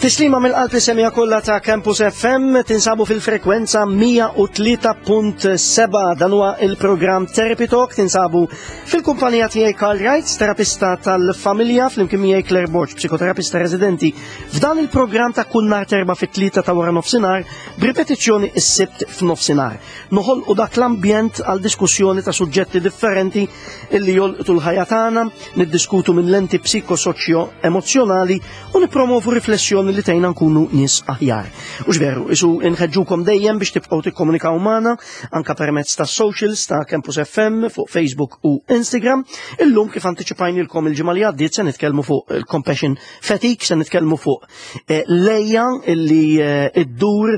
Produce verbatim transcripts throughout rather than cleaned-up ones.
Tislima mill-qalb lis-semmiegħa kollha ta' Campus F M. Tinsabu fil-frekwenza mija u tlieta punt sebgħa. Dan huwa il-programm Therapy Talk. Tinsabu fil-kumpanija tiegħi, Karl Wright, terapista tal-familja, flimkien miegħi Claire Borg, psikoterapista residenti. F'dan il-programm ta' kull nhar t'Erbgħa fit-tlieta ta' wara nofsinhar, b'ripetizzjoni is-Sibt f'nofsinhar. Noħolqu dak l-ambjent għal diskussjoni ta' suġġetti differenti illi jolqtu l-ħajja tagħna, niddiskutu minn lenti psikosoċjo emozjonali u nipromovu riflessjoni li tgħinna nkunu nies aħjar. U veru, isu inħeġġukom dejjem biex tibqgħu tikkomunikaw magħna anka permezz ta' socials ta' Campus F M fuq Facebook u Instagram. Illum, kif antiċipajnilkom il-ġimgħa li għaddiet, se nitkellmu fuq il-compassion fatigue, se nitkellmu fuq eh, l-għeja illi eh, iddur,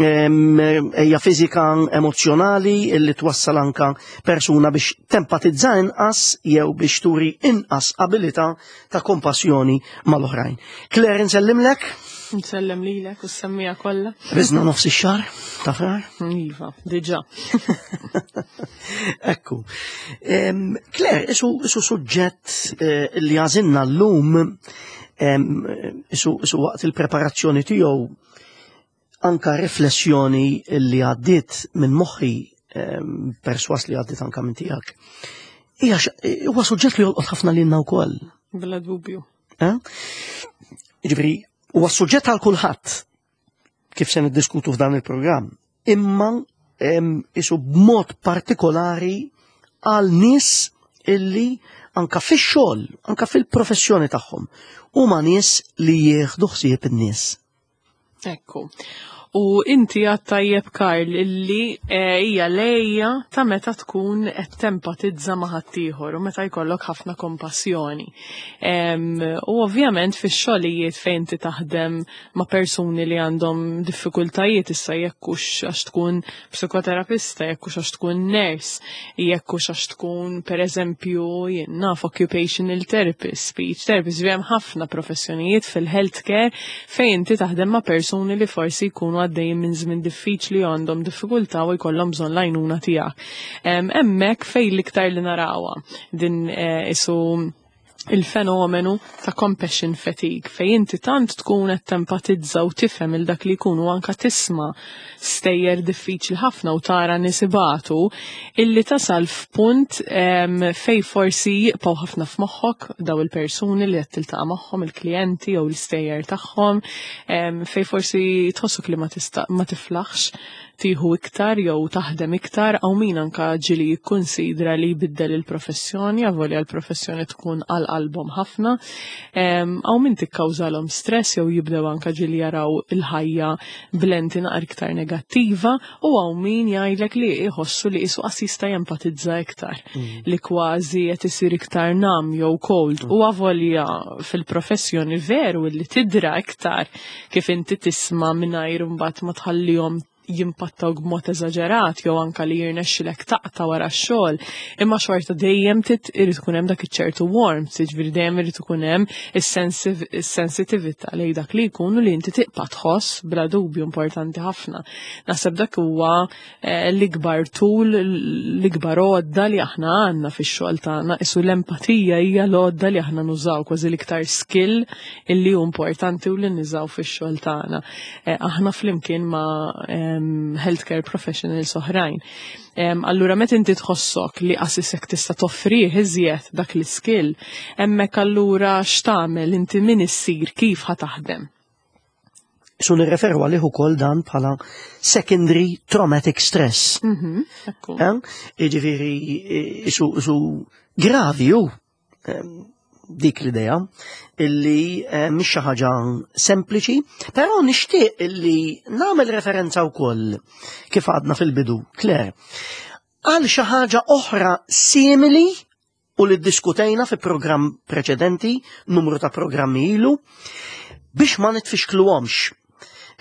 għeja fiżika, emozjonali, illi twassal anka persuna biex tempatizza inqas jew biex turi inqas abilità ta' kompassjoni mal-oħrajn. Claire, nsellimlek. Nsellem lilek u s-semmiegħa kollha. Qbiżna nofs ix-xahar ta' Frar. Iva, diġà. Ekku. Em, Claire, isu, isu suġġett eh, li għażilna llum, em, isu, isu waqt il-preparazzjoni tiegħu anka riflessjoni li għaddiet minn moħħi, em, perswas li għaddiet anka minn tiegħek. Hija x- huwa suġġett li jolqot ħafna lilna wkoll. Bla dubju. Eh? Ġifieri, huwa suġġett għal kulħadd kif se niddiskutu f'dan il-programm, imma em, isu b'mod partikolari għal nies illi anka fix-xogħol, anka fil-professjoni tagħhom, huma nies li jieħdu ħsieb in-nies. Ekku. U inti għedt tajjeb, Karl, illi eh, hija l-għeja ta' meta tkun qed tempatizza ma' ħaddieħor u meta jkollok ħafna kompassjoni. Em, U ovvjament fix-xogħlijiet fejn inti taħdem ma' persuni li għandhom diffikultajiet, issa jekk hux għax tkun psikoterapista, jekk hux għax tkun nurse, jekk hux għax tkun, pereżempju, jien naf, occupational therapist, speech therapist, hemm ħafna professjonijiet fil-healthcare fejn inti taħdem ma' persuni li forsi jkunu għaddejjin minn żmien diffiċli u għandhom diffikultà u jkollhom bżonn l-għajnuna tiegħek. Em, Hemmhekk fejn l-iktar li narawha din eh, isu il-fenomenu ta' compassion fatigue, fej inti tant tkun qed tempatizza u tifhem il dak li jkunu, anka tisma' stejjer diffiċli ħafna u tara nies ibatu, illi tasal f'punt em, fej forsi jibqgħu ħafna f'moħħok daw il-persuni li qed tiltaqa' magħhom, il-klijenti jew l-istejjer tagħhom, em, fej forsi tħossuk li ma tista' ma tiflaħx tieħu iktar jew taħdem iktar. Hawn min anka ġieli jikkunsidra li jbiddel il-professjoni, avolja l-professjoni tkun għal qalbhom ħafna. Hawn min tikkawżalhom stress jew jibdew anka ġieli jaraw il-ħajja b'lenti naqra iktar negattiva, u hawn min jgħidlek li jħossu li qisu qas jista' jempatizza iktar, li kważi qed isir iktar numb jew cold, u avolja fil-professjoni veru li tidra iktar kif inti tisma' mingħajr imbagħad ma tħallihom jimpattaw b'mod eżaġerat jew anka li jirnexxilek taqta' wara x-xogħol, imma xorta dejjem tit irid ikun hemm dak iċ-ċertu warmth, jiġifieri dejjem irid ikun hemm is-sensitività lejn dak li jkunu li inti tibqa' tħoss, bla dubju importanti ħafna. Naħseb dak huwa eh, l-ikbar tool, l-ikbar għodda li aħna għandna fix-xogħol tagħna, isu l-empatija hija l-għodda li aħna nużaw, kważi l-iktar skill illi hu importanti u li nużaw fix-xogħol tagħna. Eh, aħna flimkien ma' em, healthcare professionals oħrajn. Em, Allura meta inti tħossok li qas isek tista' toffrih iżjed dak l-skill, hemmhekk allura x'tagħmel inti, min issir, kif ħa taħdem? Su nirreferu għalih ukoll dan bħala secondary traumatic stress. Mhm, ekku. Eh? Jiġifieri isu, isu gravi ju em, dik l-idea illi eh, mhix xi ħaġa sempliċi, però nixtieq illi nagħmel referenza wkoll, kif għadna fil-bidu, Claire, għal xi ħaġa oħra simili u li ddiskutejna fi programm preċedenti, numru ta' programmi ilu, biex ma nitfixkluhomx.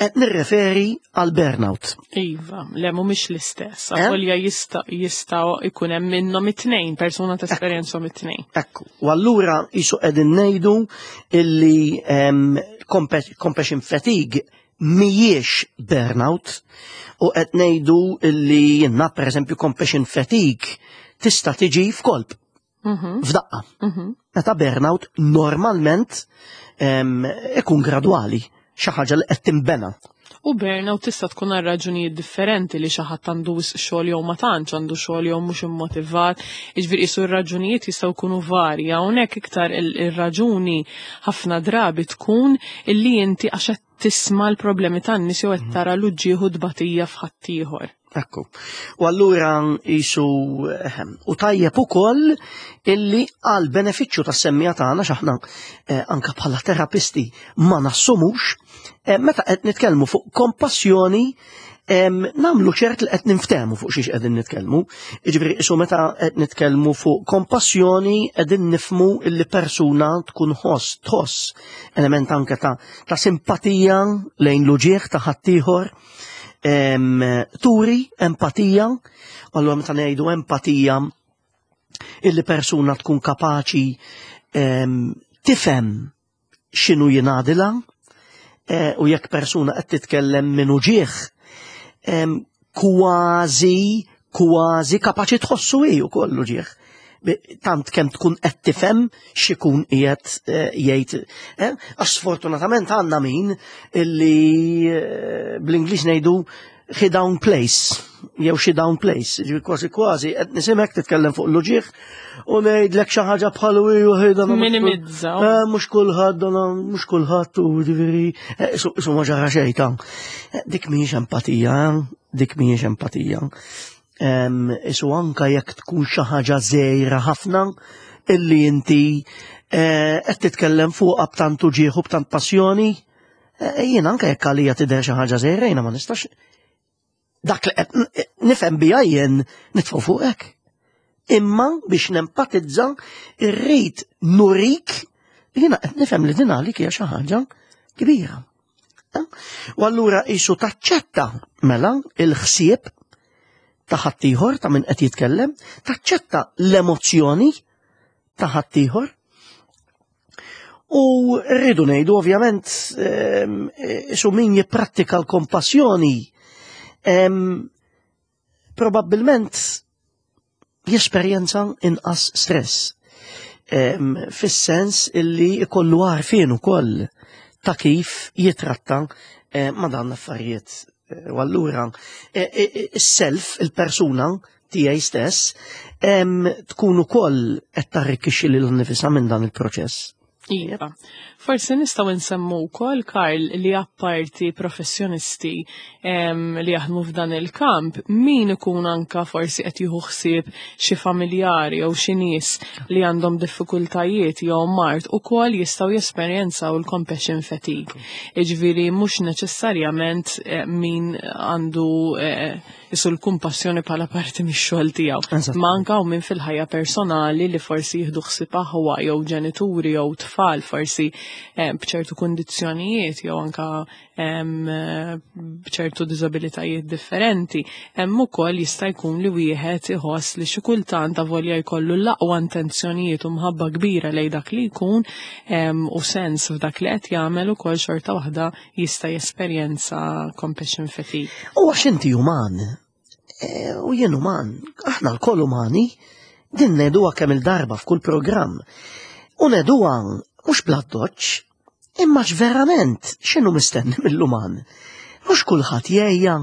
Qed nirreferi għal burnout. Iva, le, mhumiex l-istess. Eh? Avolja jista' jista' ikun hemm minnhom it-tnejn, persuna tesperjenzhom it-tnejn. Ekku, u allura jisu qegħdin ngħidu illi em, compa- compassion fatigue mhijiex burnout u qed ngħidu illi jenna, per eżempju, compassion fatigue tista' tiġi f'kolp, Mhm, f'daqqa. mhm. Meta burnout normalment em, ikun gradwali. Xi ħaġa li qed tinbena. U burnout tista' tkun għal raġunijiet differenti, li xi ħadd għandu xogħol jew ma tantx għandu xogħol jew mhux immotivat, jiġifieri qisu r-raġunijiet jistgħu jkunu varji. Hawnhekk iktar ir-raġuni ħafna drabi tkun illi inti għax qed tisma' l-problemi tan-nies jew qed tara l-uġigħ u tbatija f'ħaddieħor. Ekku. U allura jisu u tajjeb ukoll illi għal benefiċċju tas-semmiegħa tagħna, x'aħna eh, anka bħala terapisti ma nassumux, eh, meta qed nitkellmu fuq kompassjoni, nagħmlu ċert li qed niftehmu fuq xiex qegħdin nitkellmu. Jiġifieri isu meta qed nitkellmu fuq kompassjoni, qegħdin nifhmu illi persuna tkun ħoss tħoss element anke ta', ta simpatija lejn l-uġigħ ta' ħaddieħor, turi empatija. Allura meta ngħidu empatija, illi persuna tkun kapaċi tifhem x'inhu jingħadilha e, u jekk persuna qed titkellem minn uġigħ, kważi kważi kapaċi tħossu hi wkoll uġigħ, tant kemm tkun qed tifhem x'ikun qiegħed eh, jgħid. Eh? Għax sfortunatament għandna min illi eh, bl-Ingliż ngħidu he downplays jew she downplays, ġifieri kważi kważi qed nisimek titkellem fuq l-uġigħ u ngħidlek xi ħaġa bħal u ħejda Minimizza. Mhux kulħadd, mhux kulħadd, u ġifieri su ma ġara xejn ta'. Dik mhijiex empatija, dik mhijiex empatija. Isu anka jekk tkun xi ħaġa żgħira ħafna illi inti eh, qed titkellem fuqha b'tant uġigħ u b'tant passjoni, eh, jien anka jekk għalija tidher xi ħaġa żgħira, jiena ma nistax dak li qed nifhem bija jien nitfgħu fuqek. Imma biex nempatizza irrid nurik jiena qed nifhem li din għalik hija xi ħaġa kbira. Eh? U allura isu taċċetta mela il-ħsieb ta' ħaddieħor, ta' min qed jitkellem, taċċetta l-emozzjoni ta' ħaddieħor. U rridu ngħidu ovvjament, ehm, isu min jipprattika l-kompassjoni ehm, probabbilment jesperjenza inqas stress. Ehm, fis-sens illi ikollu għarfien ukoll ta' kif jitratta eh, ma' dan l-affarijiet. U allura e, e, e, is-self, il-persuna tiegħi stess, tkun ukoll qed tarrikkixxi lil nifisha minn dan il-proċess. Iva. Forsi nistgħu nsemmu wkoll, Karl, li apparti professjonisti li jaħdmu f'dan il-kamp, min ikun anka forsi qed jieħu ħsieb xi familjari jew xi nies li għandhom diffikultajiet jew mard ukoll jistgħu jesperjenzaw il-compassion fatigue. Jiġifieri mhux neċessarjament eh, min għandu eh, isu l-kumpassjoni bħala parti mix-xogħol tiegħu. Ma anka u min fil-ħajja personali li forsi jieħdu ħsieb aħwa jew ġenituri jew tfal forsi eh, b'ċertu kundizzjonijiet jew anka b'ċertu diżabilitajiet differenti, hemm ukoll jista' jkun li wieħed iħoss li xi kultant, avolja jkollu l-aqwa intenzjonijiet u mħabba kbira lejn dak li jkun u sens f'dak li qed jagħmel, ukoll xorta waħda jista' jesperjenza compassion fatigue. U għax inti uman, e, u jien uman, aħna lkoll umani, din ngħiduha kemm il-darba f'kull programm. U ngħiduha mhux bl-addoċċ, imma verament x'inhu mistenni mill-uman? Mhux kulħadd jgħejja.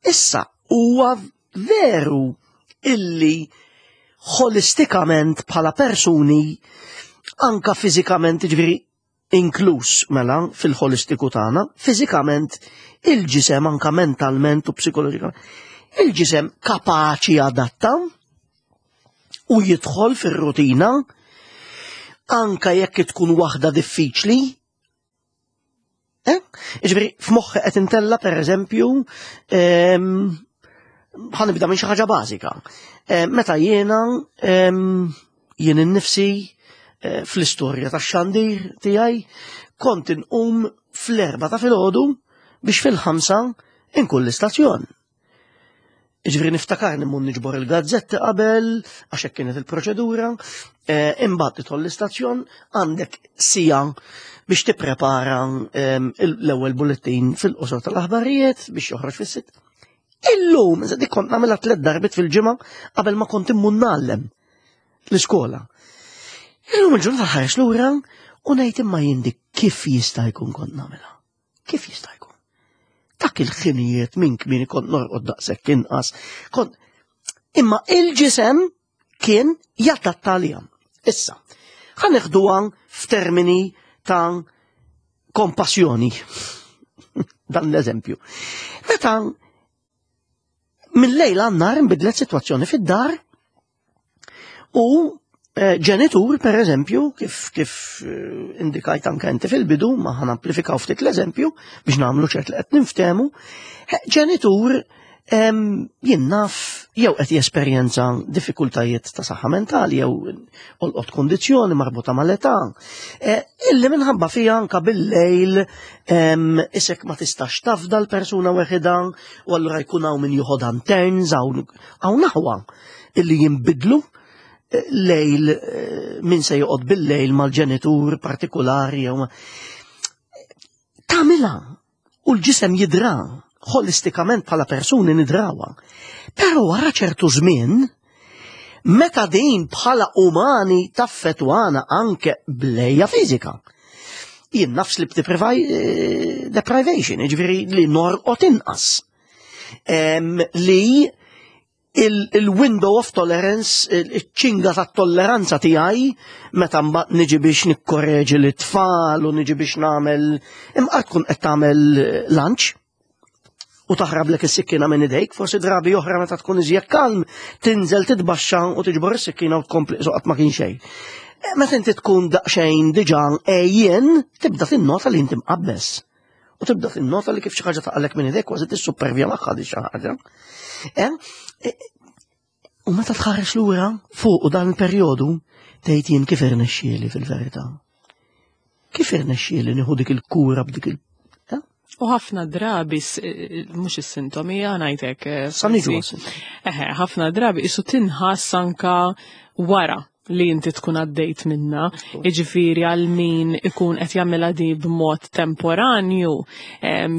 Issa huwa veru illi holistikament bħala persuni, anka fiżikament, ġifieri inkluż mela fil-holistiku tagħna, fiżikament il-ġisem, anka mentalment u psikoloġikament, il-ġisem kapaċi adatta u jidħol fir-rutina anka jekk tkun waħda diffiċli. Eh? Ġifieri, f'moħħi qed intella, per eżempju, ehm, ħa nibda minn xi ħaġa bażika. Meta jiena ehm, jien innifsi eh, fl-istorja tax-xandir tiegħi kont inqum fl-erba ta' filgħodu biex fil-ħamsa inkun l-istazzjon. Ġifieri niftakar immur niġbor il-gazzetti qabel, għax hekk kienet il-proċedura, eh, imbagħad tidħol l-istazzjon, għandek siegħa biex tipprepara ehm, l-ewwel bulletin fil-qosor tal-aħbarijiet biex joħroġ fis-sitt. Illum, dik kont nagħmilha tliet darbiet fil-ġimgħa qabel ma kont immur ngħallem l-iskola. Illum il-ġurnata nħares lura u ngħid, imma jien dik kif jista' jkun kont nagħmilha? Kif jista' jkun? Dak il-ħinijiet minn kmieni kont norqod daqshekk inqas. Kont imma il-ġisem kien jadatta għalija. Issa, ħa neħduha f'termini ta' kompassjoni. Dan l-eżempju. Meta minn lejl għan-nhar inbidlet sitwazzjoni fid-dar u eh, ġenitur, per eżempju, kif, kif eh, indikajt anke inti fil-bidu, ma ħa namplifikaw ftit l-eżempju biex nagħmlu ċert li qed niftehmu, eh, ġenitur jien naf jew qed jesperjenza diffikultajiet ta' saħħa mentali jew olqot kondizzjoni marbuta mal-età, illi minħabba fija anka bil-lejl isek ma tistax tafda l-persuna weħida u allura jkun hawn min joħodha turns hawn hawn aħwa illi jinbidlu lejl min se joqgħod bil-lejl mal-ġenitur partikolari jew tagħmilha u l-ġisem jidra holistikament bħala persuni nidrawha. Però wara ċertu żmien, meta din bħala umani taffetwana anke bl-għeja fiżika. Jien naf sleep deprivation, ġifieri li norqod inqas. Li il-window of tolerance, il-ċinga ta' tolleranza tiegħi meta mbagħad niġi biex nikkorreġi l-tfal u niġi biex nagħmel imqar tkun qed tagħmel lunch u taħrablek is-sikkina minn idejk, forsi drabi oħra meta tkun iżjed kalm, tinżel titbaxxa u tiġbor is-sikkina u tkompli qatt ma kien xejn. E, meta inti tkun daqsxejn diġà għejjien, tibda tinnota li inti mqabbes. U tibda tinnota li kif xi ħaġa taqalek minn idejk kważi tissuppervja magħha di xi ħaġa. E, e, u meta tħares lura fuq dan il-perjodu tgħid jien kif irnexxieli fil-verità. Kif irnexxieli nieħu dik il-kura b'dik il- U ħafna drabi, mhux is-sintomi, ngħidlek. Sa niġu. Eħe, ħafna drabi isu tinħass anka wara li inti tkun għaddejt minna, iġifiri għal min ikun qed jagħmilha di b'mod temporanju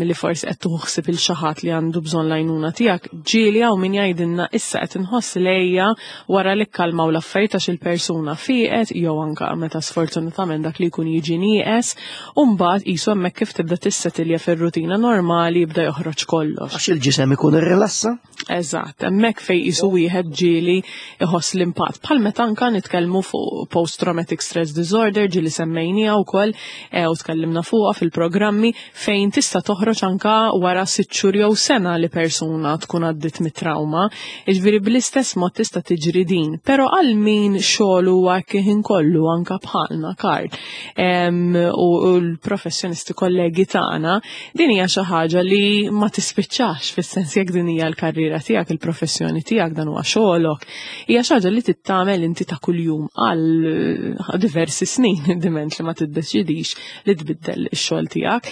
li forsi qed tuħsib il xi ħadd li għandu bżonn l-għajnuna tiegħek, ġieli hawn min jgħidilna issa qed inħoss l-għeja wara li kkalmaw l-affarijiet għax il-persuna fieqet jew anka meta sfortunatament dak li jkun jiġi nieqes, u mbagħad qisu hemmhekk kif tibda tissetilja fir-rutina normali jibda joħroġ kollox. Għax il-ġisem ikun irrilassa? Eżatt, hemmhekk fejn qisu wieħed ġieli iħoss l-impatt. Bħal meta anka nitkellmu fuq post-traumatic stress disorder ġieli semmejnija wkoll eh, u tkellimna fuqha fil-programmi fejn tista' toħroġ anka wara sitt xhur jew sena li persuna tkun għaddit mit-trauma. Jiġifieri bl-istess mod tista' tiġri din. Però għal min xogħol huwa kien kollu anka bħalna Karl u l-professjonisti kollegi tagħna, din hija xi ħaġa li ma tispiċċax fis-sens jekk din hija l-karriera tiegħek, il-professjoni tiegħek, dan huwa xogħolok. Hija xi ħaġa li tittamel inti ta' kuljum għal diversi snin diment li ma tiddeċidix li tbiddel ix-xogħol tiegħek.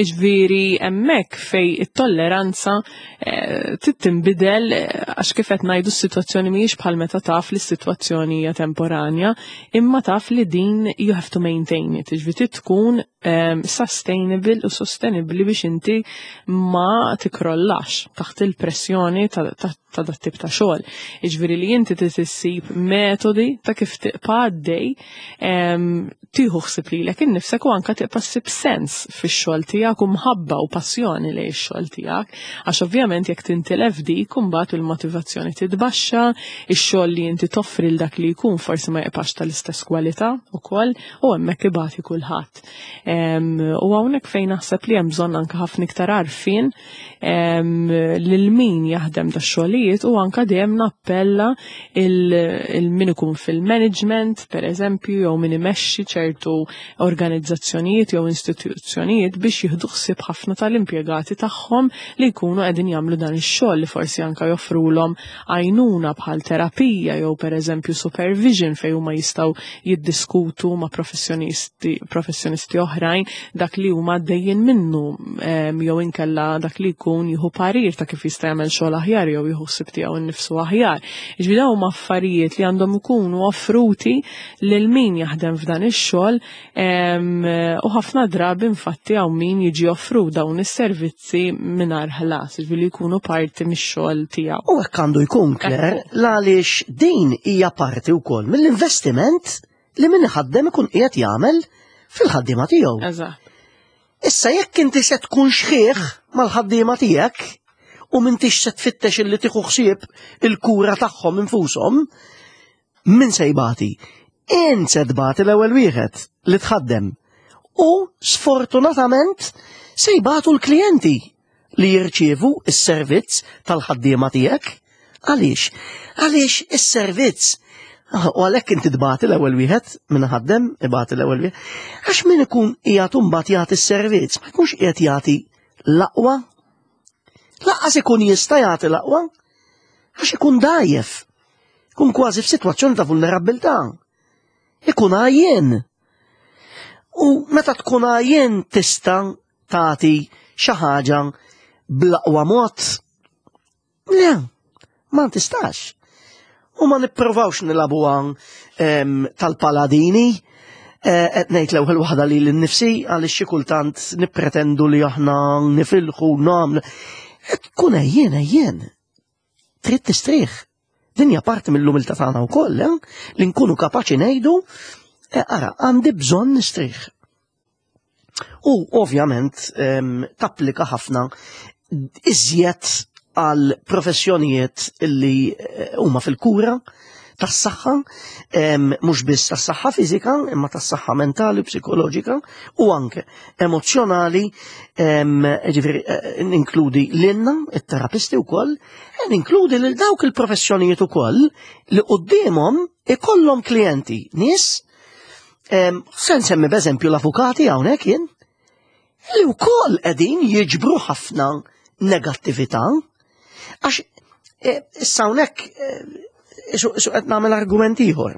Iġifieri hemmhekk fej it-tolleranza eh, tinbidel għax kif qed ngħidu s-sitwazzjoni mhijiex bħal meta taf li s-sitwazzjoni hija temporanja, imma taf li din you have to maintain it, iġifieri tkun sustainable u sostenibli biex inti ma tikrollax taħt il-pressjoni ta' ta' dat tip ta' xogħol. Iġifieri li inti tissib metodi ta' kif tibqa' għaddej tieħu ħsieb lilek innifsek u anka tibqa' ssib sens fix-xogħol tiegħek u mħabba u passjoni lejn ix-xogħol tiegħek. Għax ovvjament jekk tintilef dik imbagħad il-motivazzjoni titbaxxa, ix-xogħol li inti toffri l dak li jkun forsi ma jibqax tal-istess kwalità ukoll u hemmhekk ibati kulħadd. U hawnhekk fejn naħseb li hemm bżonn anke ħafna iktar għarfien lil min jaħdem da xogħlijiet u anka dejjem nappella il-min ikun fil-management, per eżempju, jew min imexxi ċertu organizzazzjonijiet jew istituzzjonijiet biex jieħdu ħsieb ħafna tal-impjegati tagħhom li jkunu qegħdin jagħmlu dan ix-xogħol li forsi anka joffrulhom għajnuna bħal terapija jew per eżempju supervision fejn huma jistgħu jiddiskutu ma' professjonisti professjonisti oħrajn dak li huma għaddejjin minnu jew inkella dak li jkun jieħu parir ta' kif jista' jagħmel xogħol aħjar jew jieħu ħsieb tiegħu nnifsu aħjar. Jiġifieri dawn huma affarijiet li għandhom ikunu offruti lil min jaħdem f'dan ix-xogħol u ħafna drabi infatti hawn min jiġi offru dawn is-servizzi mingħajr ħlas, jiġifieri jkunu parti mix-xogħol tiegħu. U hekk għandu jkun Claire, għaliex din hija parti wkoll mill-investiment li min iħaddem ikun qiegħed jagħmel fil-ħaddiema tiegħu. Eżatt. Issa jekk inti se tkun xħiħ mal-ħaddiema tiegħek u m'intix se tfittex illi tieħu ħsieb il-kura tagħhom infushom, min se jbati? Int se tbati l-ewwel wieħed li tħaddem. U sfortunatament se jbatu l-klijenti li jirċievu s-servizz tal-ħaddiema tiegħek. Għaliex? Għaliex is-servizz U għalhekk inti tbati l-ewwel wieħed minn ħaddem ibati l-ewwel wieħed. Għax min ikun qiegħed imbagħad jagħti s-servizz, ma jkunx qiegħed jagħti l-aqwa. Lanqas ikun jista' jagħti l-aqwa għax ikun dgħajjef. Ikun kważi f'sitwazzjoni ta' vulnerabbiltà. Ikun għajjen. U meta tkun għajjen tista' tagħti xi ħaġa bl-aqwa mod. Le, ma tistax. U ma nipprovawx nilagħbuha tal-paladini, eh, qed ngħid l-ewwel waħda li l-nifsi għaliex xi kultant nippretendu li aħna nifilħu nagħmlu. Tkun għajjen għajjen. Trid tistrieħ. Din hija parti mill-umiltà tagħna wkoll, eh? Li nkunu kapaċi ngħidu, eh, ara, għandi bżonn nistrieħ. U ovvjament tapplika ħafna iżjed għal professjonijiet illi eh, huma fil-kura tas-saħħa, mhux biss tas-saħħa fiżika, imma tas-saħħa mentali, psikoloġika u anke emozjonali, ġifieri eh, ninkludi lilna, it-terapisti wkoll, e ninkludi lil dawk il-professjonijiet ukoll li quddiemhom ikollhom klijenti, nies, se nsemmi b'eżempju l-avukati hawnhekk jien, li wkoll qegħdin jiġbru ħafna negattività. Għax eh, issa hawnhekk eh, su qed nagħmel argument ieħor.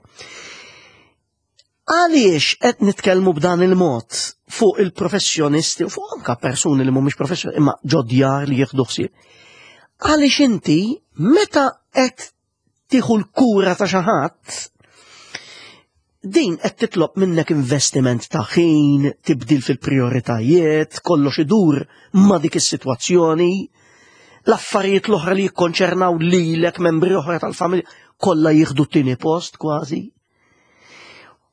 Għaliex qed nitkellmu b'dan il-mod fuq il-professjonisti u fuq anka persuni li mhumiex professjonisti imma ġod-djar li jieħdu ħsieb. Għaliex inti meta qed tieħu l-kura ta' xi ħadd, din qed titlob minnek investiment ta' ħin, tibdil fil-prioritajiet, kollox idur ma' dik is-sitwazzjoni, l-affarijiet l-oħra li jikkonċernaw lilek membri oħra tal-familja kollha jieħdu t-tieni post kważi.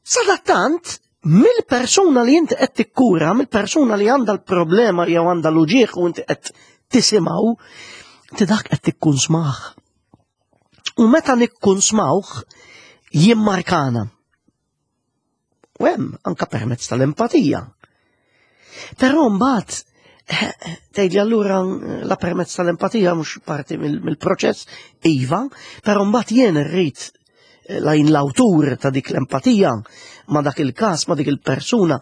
Sadattant, mill-persuna li inti qed tikkura, mill-persuna li għandha l-problema jew għandha l-uġieħ u inti qed tisimgħu, inti dak qed tikkunsmah. U meta nikkunsmawh jimmarkana. U hemm anka permezz tal-empatija. Però mbagħad tgħidli allura la permezz tal-empatija mhux parti mill-proċess, iva, però mbagħad jien irrid la jien l-awtur ta' dik l-empatija ma' dak il-każ, ma' dik il-persuna,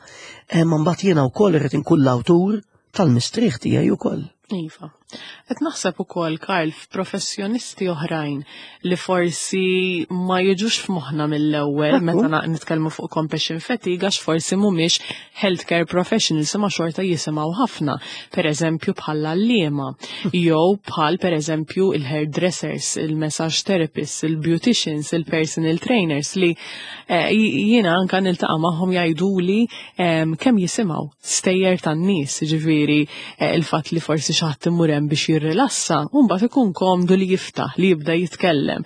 ma mbagħad jiena wkoll irrid inkun l-awtur tal-mistrieħ tiegħi wkoll. Iva. Qed naħseb ukoll, Karl, f'professjonisti oħrajn li forsi ma jiġux f'moħħna mill-ewwel meta nitkellmu fuq compassion fatigue għax forsi mhumiex healthcare professionals imma xorta jisimgħu ħafna. Per eżempju bħal għalliema jew bħal per eżempju il-hairdressers, il-massage therapists, il-beauticians, il-personal trainers li eh, jiena anka niltaqa' magħhom jgħiduli kemm jisimgħu stejjer tan-nies, ġifieri eh, il-fatt li forsi xi ħadd imur hemm biex jirrilassa, u mbagħad ikun komdu li jiftaħ, li jibda jitkellem.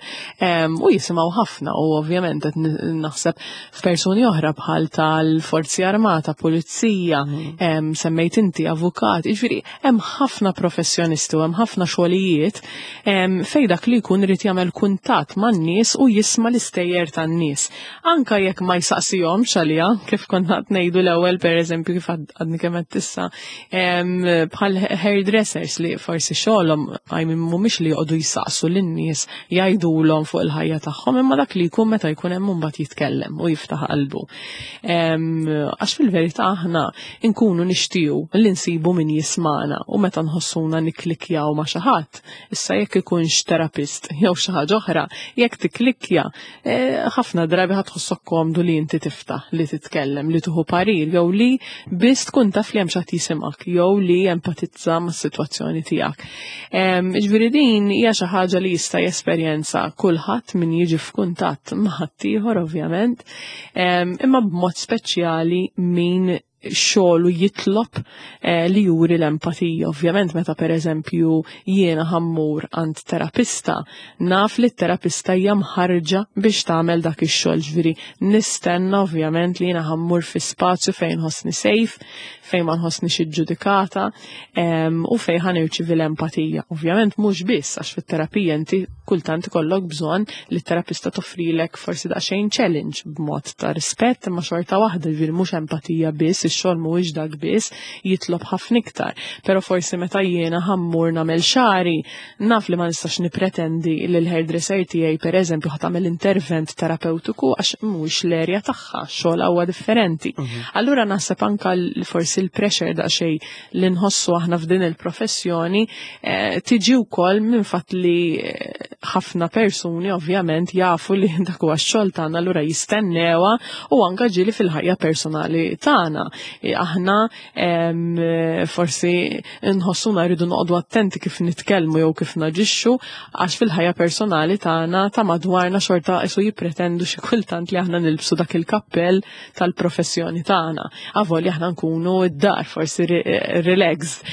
U jisimgħu ħafna u ovvjament qed naħseb f'persuni oħra bħal tal-Forzi Armata, Pulizija, mm. semmejt inti avukat, jiġifieri hemm ħafna professjonisti u hemm ħafna xogħlijiet fejn dak li jkun irid jagħmel kuntatt man-nies u jisma' l-istejjer tan-nies. Anka jekk ma jsaqsihomx għaliha, kif konna qed ngħidu l-ewwel pereżempju kif għadni kemm qed issa, bħal hairdressers li forsi xogħolhom għajmin mhumiex li joqogħdu jsaqsu lin-nies jgħidulhom fuq il-ħajja tagħhom, imma dak li jkun meta jkun hemm mbagħad jitkellem u jiftaħ qalbu. Għax fil-verità aħna nkunu nixtiequ li nsibu min jismana u meta nħossuna nikklikkjaw ma' xi ħadd, issa jekk ikunx terapist jew xi ħaġa oħra, jekk tikklikkja, eh, ħafna drabi ħa tħossok komdu li inti tiftaħ, li titkellem, li tieħu parir jew li biss tkun taf li hemm xi ħadd jisimgħek jew li empatizza mas-sitwazzjoni tiegħek. Ġifieri din hija xi ħaġa li jista' jesperjenza kulħadd min jiġi f'kuntatt ma' ħaddieħor ovvjament, imma b'mod speċjali min xogħlu jitlob eh, li juri l-empatija. Ovvjament meta pereżempju jiena ħa mmur għand terapista, naf li t-terapista hija mħarġa biex tagħmel dak ix-xogħol, ġifieri nistenna ovvjament li jiena ħa mmur fi spazju fejn ħossni safe, fejn ma nħossni ġudikata u fejn ħa nirċievi l-empatija. Ovvjament mhux biss, għax fit-terapija inti kultant ikollok bżonn li t-terapista toffrilek forsi daqsxejn challenge b'mod ta' rispett, imma xorta waħda, ġifieri mhux empatija biss, ix-xogħol mhuwiex dak biss, jitlob ħafna iktar. Però forsi meta jiena ħa mmur nagħmel xagħri, naf li ma nistax nipretendi li l-hairdresser tiegħi pereżempju ħa tagħmel intervent terapeutiku għax mhuwiex l-erja tagħha, xogħol huwa differenti. Mhm. Allura naħseb anka forsi l-pressure daqsxejn li nħossu aħna f'din il-professjoni eh, tiġi wkoll minn fatt li eh, ħafna persuni ovvjament jafu li dak huwa x-xogħol tagħna, allura jistennewha, u anka ġieli fil-ħajja personali tagħna. E, aħna forsi nħossuna rridu noqogħdu attenti kif nitkellmu jew kif naġixxu, għax fil-ħajja personali tagħna ta' madwarna xorta isu jippretendu xi kultant li aħna nilbsu dak il-kappell tal-professjoni tagħna. Avolja aħna nkunu id-dar forsi relaxed,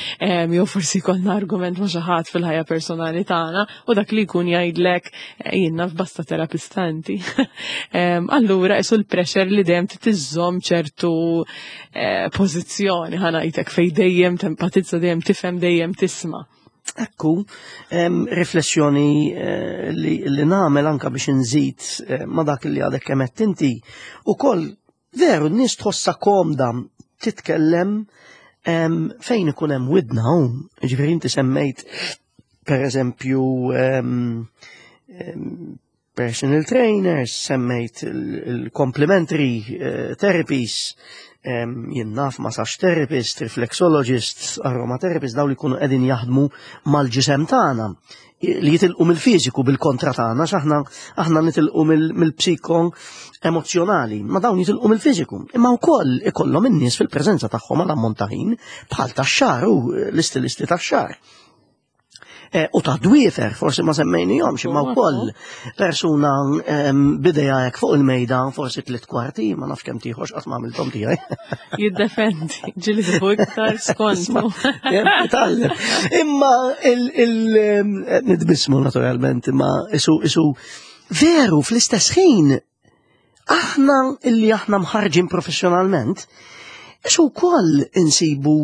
jew forsi jkollna argument ma' xi ħadd fil-ħajja personali tagħna u dak li jkun jgħidlek eh, jiena f'basta terapista inti. Allura isu l-pressure li dejjem tiżżomm ċertu eh, pożizzjoni, ħa ngħidlek, fej dejjem tempatizza, dejjem tifhem, dejjem tisma'. Ekku, riflessjoni eh, li, li nagħmel anka biex nżid ma dak li għadek kemm inti, ukoll veru n-nies tħossha komda titkellem fejn ikun hemm widna hawn. Ġifieri inti semmejt per eżempju personal trainers, semmejt il-complementary eh, therapies, jien naf massage therapist, reflexologist, aromatherapist, daw li jkunu qegħdin jaħdmu mal-ġisem tagħna li jitilqu mill-fiżiku bil-kontra tagħna, aħna aħna nitilqu mill-psiko emozjonali, ma dawn jitilqu mill-fiżiku. Imma wkoll ikollhom in-nies fil-preżenza tagħhom għal ammont ta' ħin bħal tax-xagħar u l-istilisti tax-xagħar. Eh, u ta' dwiefer, forsi ma semmejnihomx, imma wkoll persuna b'idejha hekk fuq il-mejda, forsi tliet kwarti, ma nafx kemm tieħox, qatt ma għamilthom tiegħi. Jiddependi, ġieli tieħu iktar skont. Imma il nitbissmu naturalment, imma isu isu veru fl-istess ħin aħna illi aħna mħarġin professjonalment, isu wkoll insibu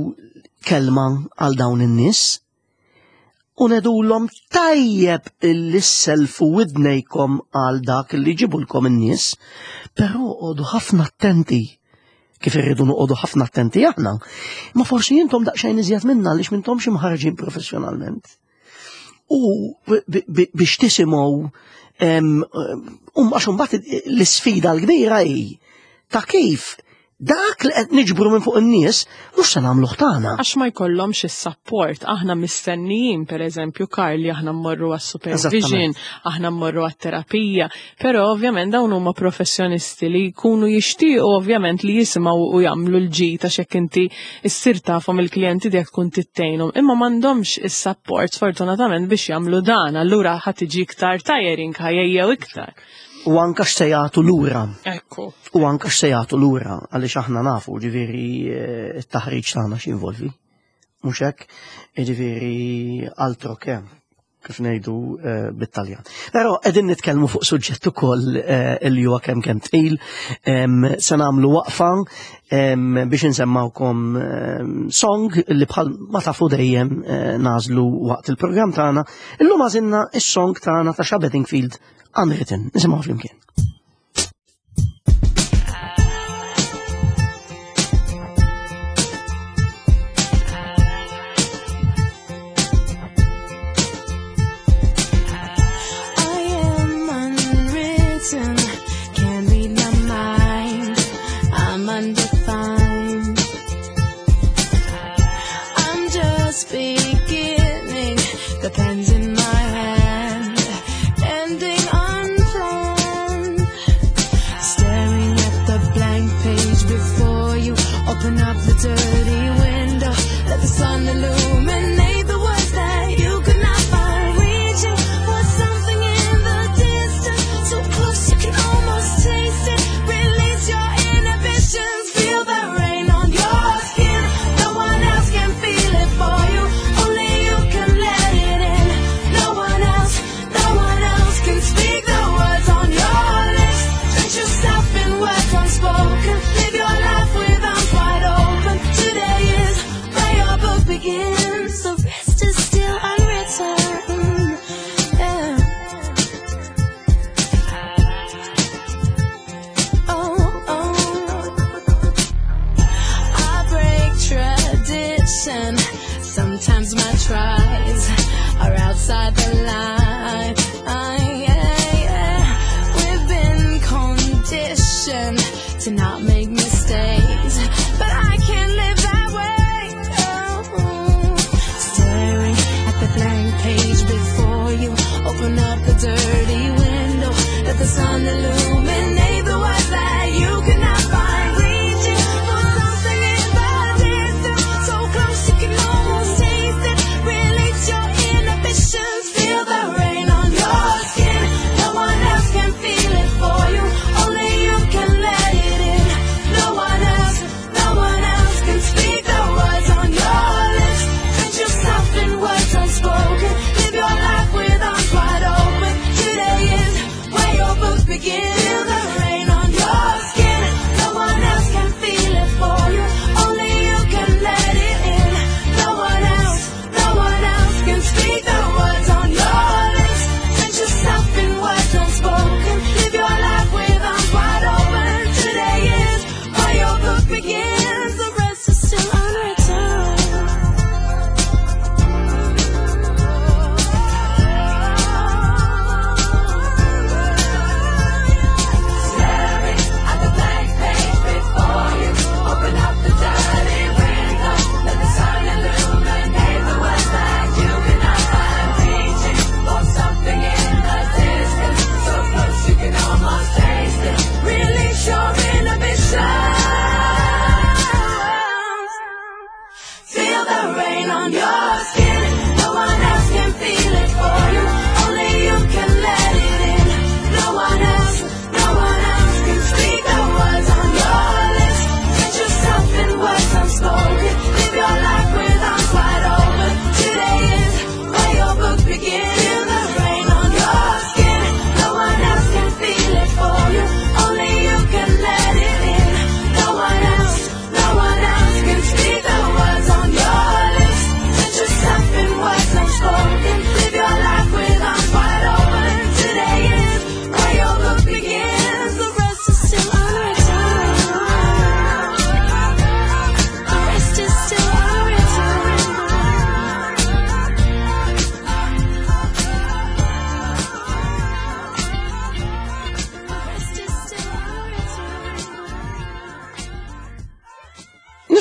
kelma għal dawn in-nies u ngħidulhom tajjeb illi sselfu widnejkom għal dak li jġibulkom in-nies, però oqogħdu ħafna attenti kif irridu noqogħdu ħafna attenti aħna. Ma forsi intom daqsxejn iżjed minna għaliex m'intomx imħarġin professjonalment. U biex tisimgħu, um għax imbagħad l-isfida l-kbira hi ta' kif dak li qed niġbru minn fuq in-nies mhux se nagħmluh tagħna. Għax ma jkollhomx is-support, aħna mistennijin pereżempju, Karl, aħna mmorru għas-supervision, aħna mmorru għat-terapija, però ovvjament dawn huma professjonisti li jkunu jixtiequ ovvjament li jisimgħu u jagħmlu l-ġid, għax hekk inti issir tafhom il-klijenti tiegħek tkun tittejnhom, imma m'għandhomx is-support sfortunatament biex jagħmlu dan, allura ħa tiġi iktar tiring, ħa jgħejjew iktar. U anka x'se jagħtu lura. Ekku. U anka x'se jagħtu lura, għaliex aħna nafu, ġifieri, eh, it-taħriġ tagħna x'involvi. Mhux hekk, ġifieri altro che, kif ngħidu eh, bit-Taljan. Però qegħdin nitkellmu fuq suġġett ukoll eh, li huwa kemm kemm tqil, se nagħmlu waqfa biex insemmawkom song li bħal ma tafu dejjem nagħżlu waqt il-programm tagħna. Illum għażilna is-song tagħna ta' Sha Bedingfield, Unwritten. Nisimgħu flimkien. I am unwritten, can't read my mind. I'm undefined. I'm just beginning, the pen's in my hand, ending unplanned.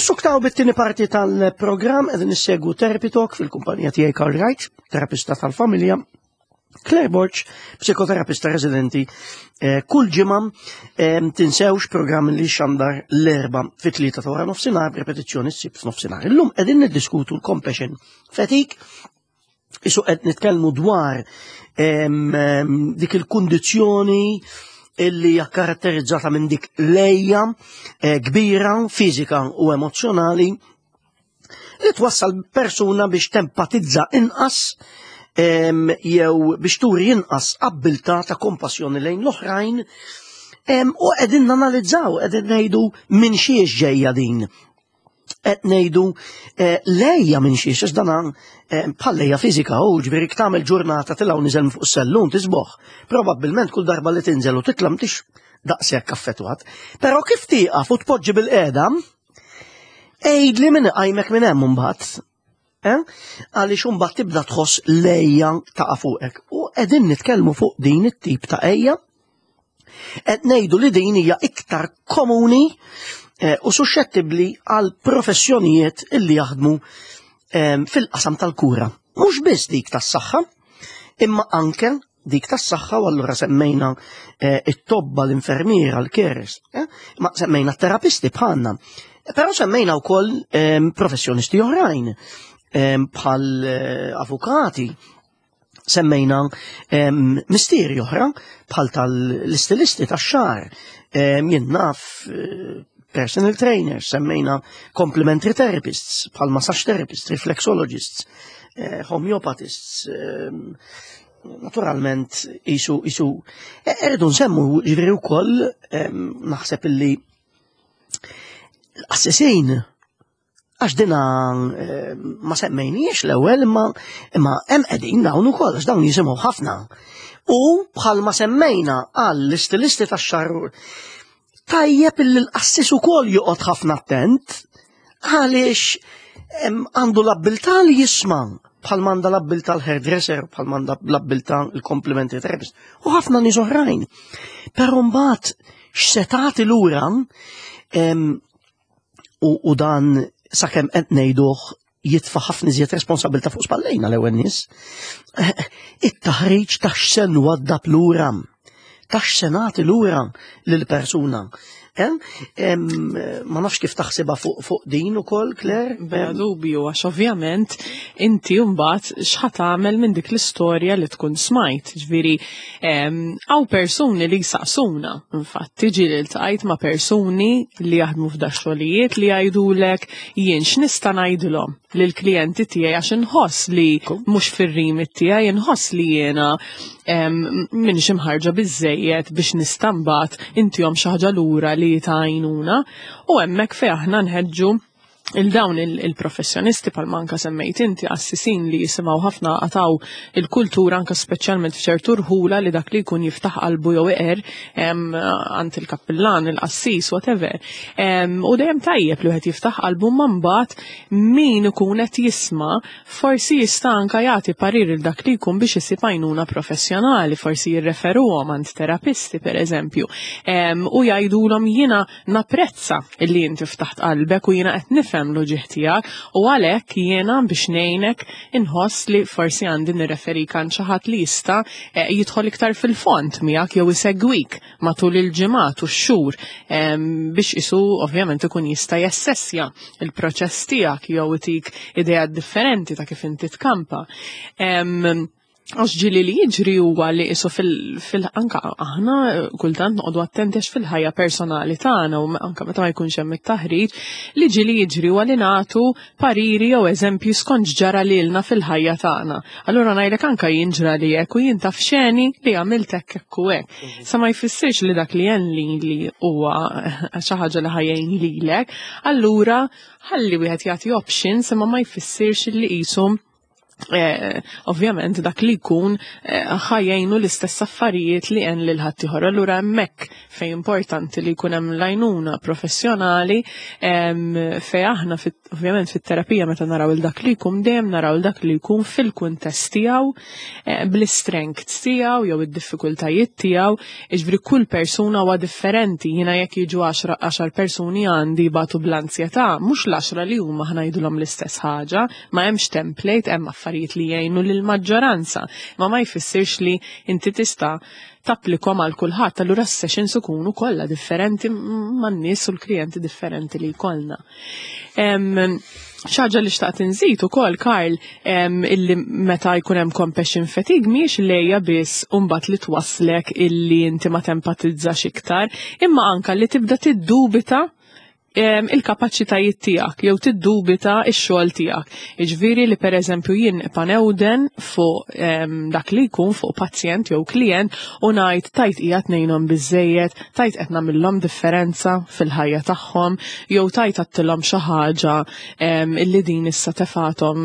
Nissuktaw bit-tieni parti tal-programm. Qegħdin nissegwu Therapy Talk fil-kumpanija tiegħi Karl Wright, terapista tal-familja, Claire Borg, psikoterapista residenti, eh, kull ġimgħa eh, tinsewx programm li xandar l-Erbgħa fit-tlieta ta' wara nofsinhar, repetizzjoni s-Sibt f'nofsinhar. Illum qegħdin niddiskutu l-compassion fatigue, isu qed nitkellmu dwar em, em, dik il-kundizzjoni illi hija karatterizzata minn dik l-għeja eh, kbira, fiżika u emozzjonali li twassal persuna biex tempatizza inqas em, jew biex turi inqas abbiltà ta' kompassjoni lejn l-oħrajn em, u qegħdin nanalizzaw, qegħdin ngħidu minn xiex ġejja din. Qed ngħidu eh, l-għeja minn xiex, għax dana eh, bħal għeja fiżika u ġifieri tagħmel ġurnata tilgħu niżel fuq sellum tisboħ. Probabbilment kull darba li tinżel u titla' m'intix daqshekk affettwat. Però kif tieqaf u tpoġġi bil-qiegħda, għidli min iqajmek minn hemm imbagħad. Eh? Għaliex imbagħad tibda tħoss l-għeja taqa' fuqek. U qegħdin nitkellmu fuq din it-tip ta' għeja. Qed ngħidu li din hija iktar komuni eh, u suscettibbli għal professjonijiet illi jaħdmu eh, fil-qasam tal-kura. Mhux biss dik tas-saħħa, imma anke dik tas-saħħa u allura semmejna eh, it-tobba, l-infermiera, l-carers, eh? Ma semmejna t-terapisti bħalna. Però semmejna wkoll eh, professjonisti oħrajn eh, bħal eh, avukati, semmejna em, mistieri oħra bħal tal-istilisti tax-xagħar, em, jien naf eh, personal trainers, semmejna complementary therapists, bħal massage therapists, reflexologists, eh, homeopathists, em, naturalment isu isu e- irridu nsemmu ġifieri wkoll em, naħseb illi l-qassisin għax dina eh, ma semmejniex l-ewwel imma imma hemm qegħdin dawn ukoll għax dawn jisimgħu ħafna. U bħalma semmejna għall-istilisti tax-xagħar tajjeb illi l-qassis ukoll joqgħod ħafna attent għaliex em, għandu l-abbiltà li jisma' bħal m'għandha l-abbiltà l-hairdresser, bħal m'għandha l-abbiltà l-complementary therapist u ħafna nies oħrajn. Però mbagħad x'se tagħti lura em, u, u dan sakemm qed ngħiduh jitfa' ħafna iżjed responsabilità fuq spallejna l-ewwel nies. It-taħriġ ta' x'se nwaddab lura, ta' x'se nagħti lura lill-persuna. Eh? Em, Ma nafx kif taħsibha fuq fuq din ukoll, Claire? Bla dubju, għax ovvjament inti mbagħad x'ħa tagħmel minn dik l-istorja li tkun smajt. Ġifieri hawn persuni li jsaqsuna, infatti ġieli ltqajt ma' persuni li jaħdmu f'da xogħlijiet li jgħidulek jien x'nista' ngħidilhom lill-klijenti tiegħi għax inħoss li mhux fir-remit tiegħi, inħoss li jiena m'iniex imħarrġa biżejjed biex nista' mbagħad intihom xi ħaġa lura li tgħinuna u hemmhekk fejn aħna nħeġġu il-dawn il-professjonisti bħal anka semmejt inti qassisin li jisimgħu ħafna għataw il-kultura anka speċjalment f'ċertu rħula li dak li jkun jiftaħ qalbu jew iqer għand il-kappillan, il-qassis, whatever. U dejjem tajjeb li wieħed jiftaħ qalbu ma mbagħad min ikun qed jisma' forsi jista' anka jagħti parir il dak li jkun biex isib għajnuna professjonali, forsi jirreferuhom għand terapisti pereżempju. U jgħidulhom jiena napprezza illi inti ftaħt qalbek u jiena qed nifhem l-uġigħ tiegħek u għalhekk jiena biex ngħinek inħoss li forsi għandi nirreferik għand xi ħadd li jista' eh, jidħol iktar fil-fond miegħek jew isegwik matul il-ġimgħat u x-xhur biex isu ovvjament ikun jista' jassessja il-proċess tiegħek jew itik idea differenti ta' kif inti tkampa. Għax ġieli li jiġri huwa li isu fil anka aħna kultant noqogħdu attenti għax fil-ħajja personali tagħna u anka meta ma jkunx hemm it-taħriġ li ġieli jiġri huwa li nagħtu pariri jew eżempju skont ġara lilna fil-ħajja tagħna. Allura ngħidlek anka jien ġra li hekk u jien taf xeni li għamilt hekk hekk u hekk. Mhm. Sa ma jfissirx li dak li jen li li huwa xi ħaġa li ħa jgħin lilek, allura ħalli wieħed jagħti options imma ma jfissirx li qisum Eh, ovvjament dak li jkun eh, ħa jgħinu l-istess affarijiet li għen lil ħaddieħor. Allura hemmhekk fejn importanti li jkun hemm l-għajnuna professjonali, fejn aħna ovvjament fit-terapija meta naraw il dak li jkun, dejjem naraw il dak li jkun fil-kuntest tiegħu, eh, bl-strengths tiegħu jew id-diffikultajiet tiegħu, jiġifieri kull persuna huwa differenti. Jiena jekk jiġu għaxar persuni għandi batu bl-ansjetà, mhux l-għaxra li huma ħa ngħidulhom l-istess ħaġa, ma hemmx template, hemm affarijiet li jgħinu lill-maġġoranza, ma ma jfissirx li inti tista' tapplikhom għal kulħadd, allura s-sessions ikunu kollha differenti man-nies u l-klijenti differenti li jkollna. Xi ħaġa li xtaqt inżid ukoll, Karl, illi meta jkun hemm compassion fatigue mhijiex l-għeja biss mbagħad li twasslek illi inti ma tempatizzax iktar, imma anka li tibda tiddubita il-kapaċitajiet tiegħek jew tiddubita x-xogħol tiegħek. Jiġifieri li pereżempju jien panewden fuq dak li jkun, fuq pazjent jew klient, u ngħid tajt qiegħed ngħinhom biżejjed, tajt qed nagħmilhom differenza fil-ħajja tagħhom, jew tajt għedtilhom xi ħaġa illi din issa tefathom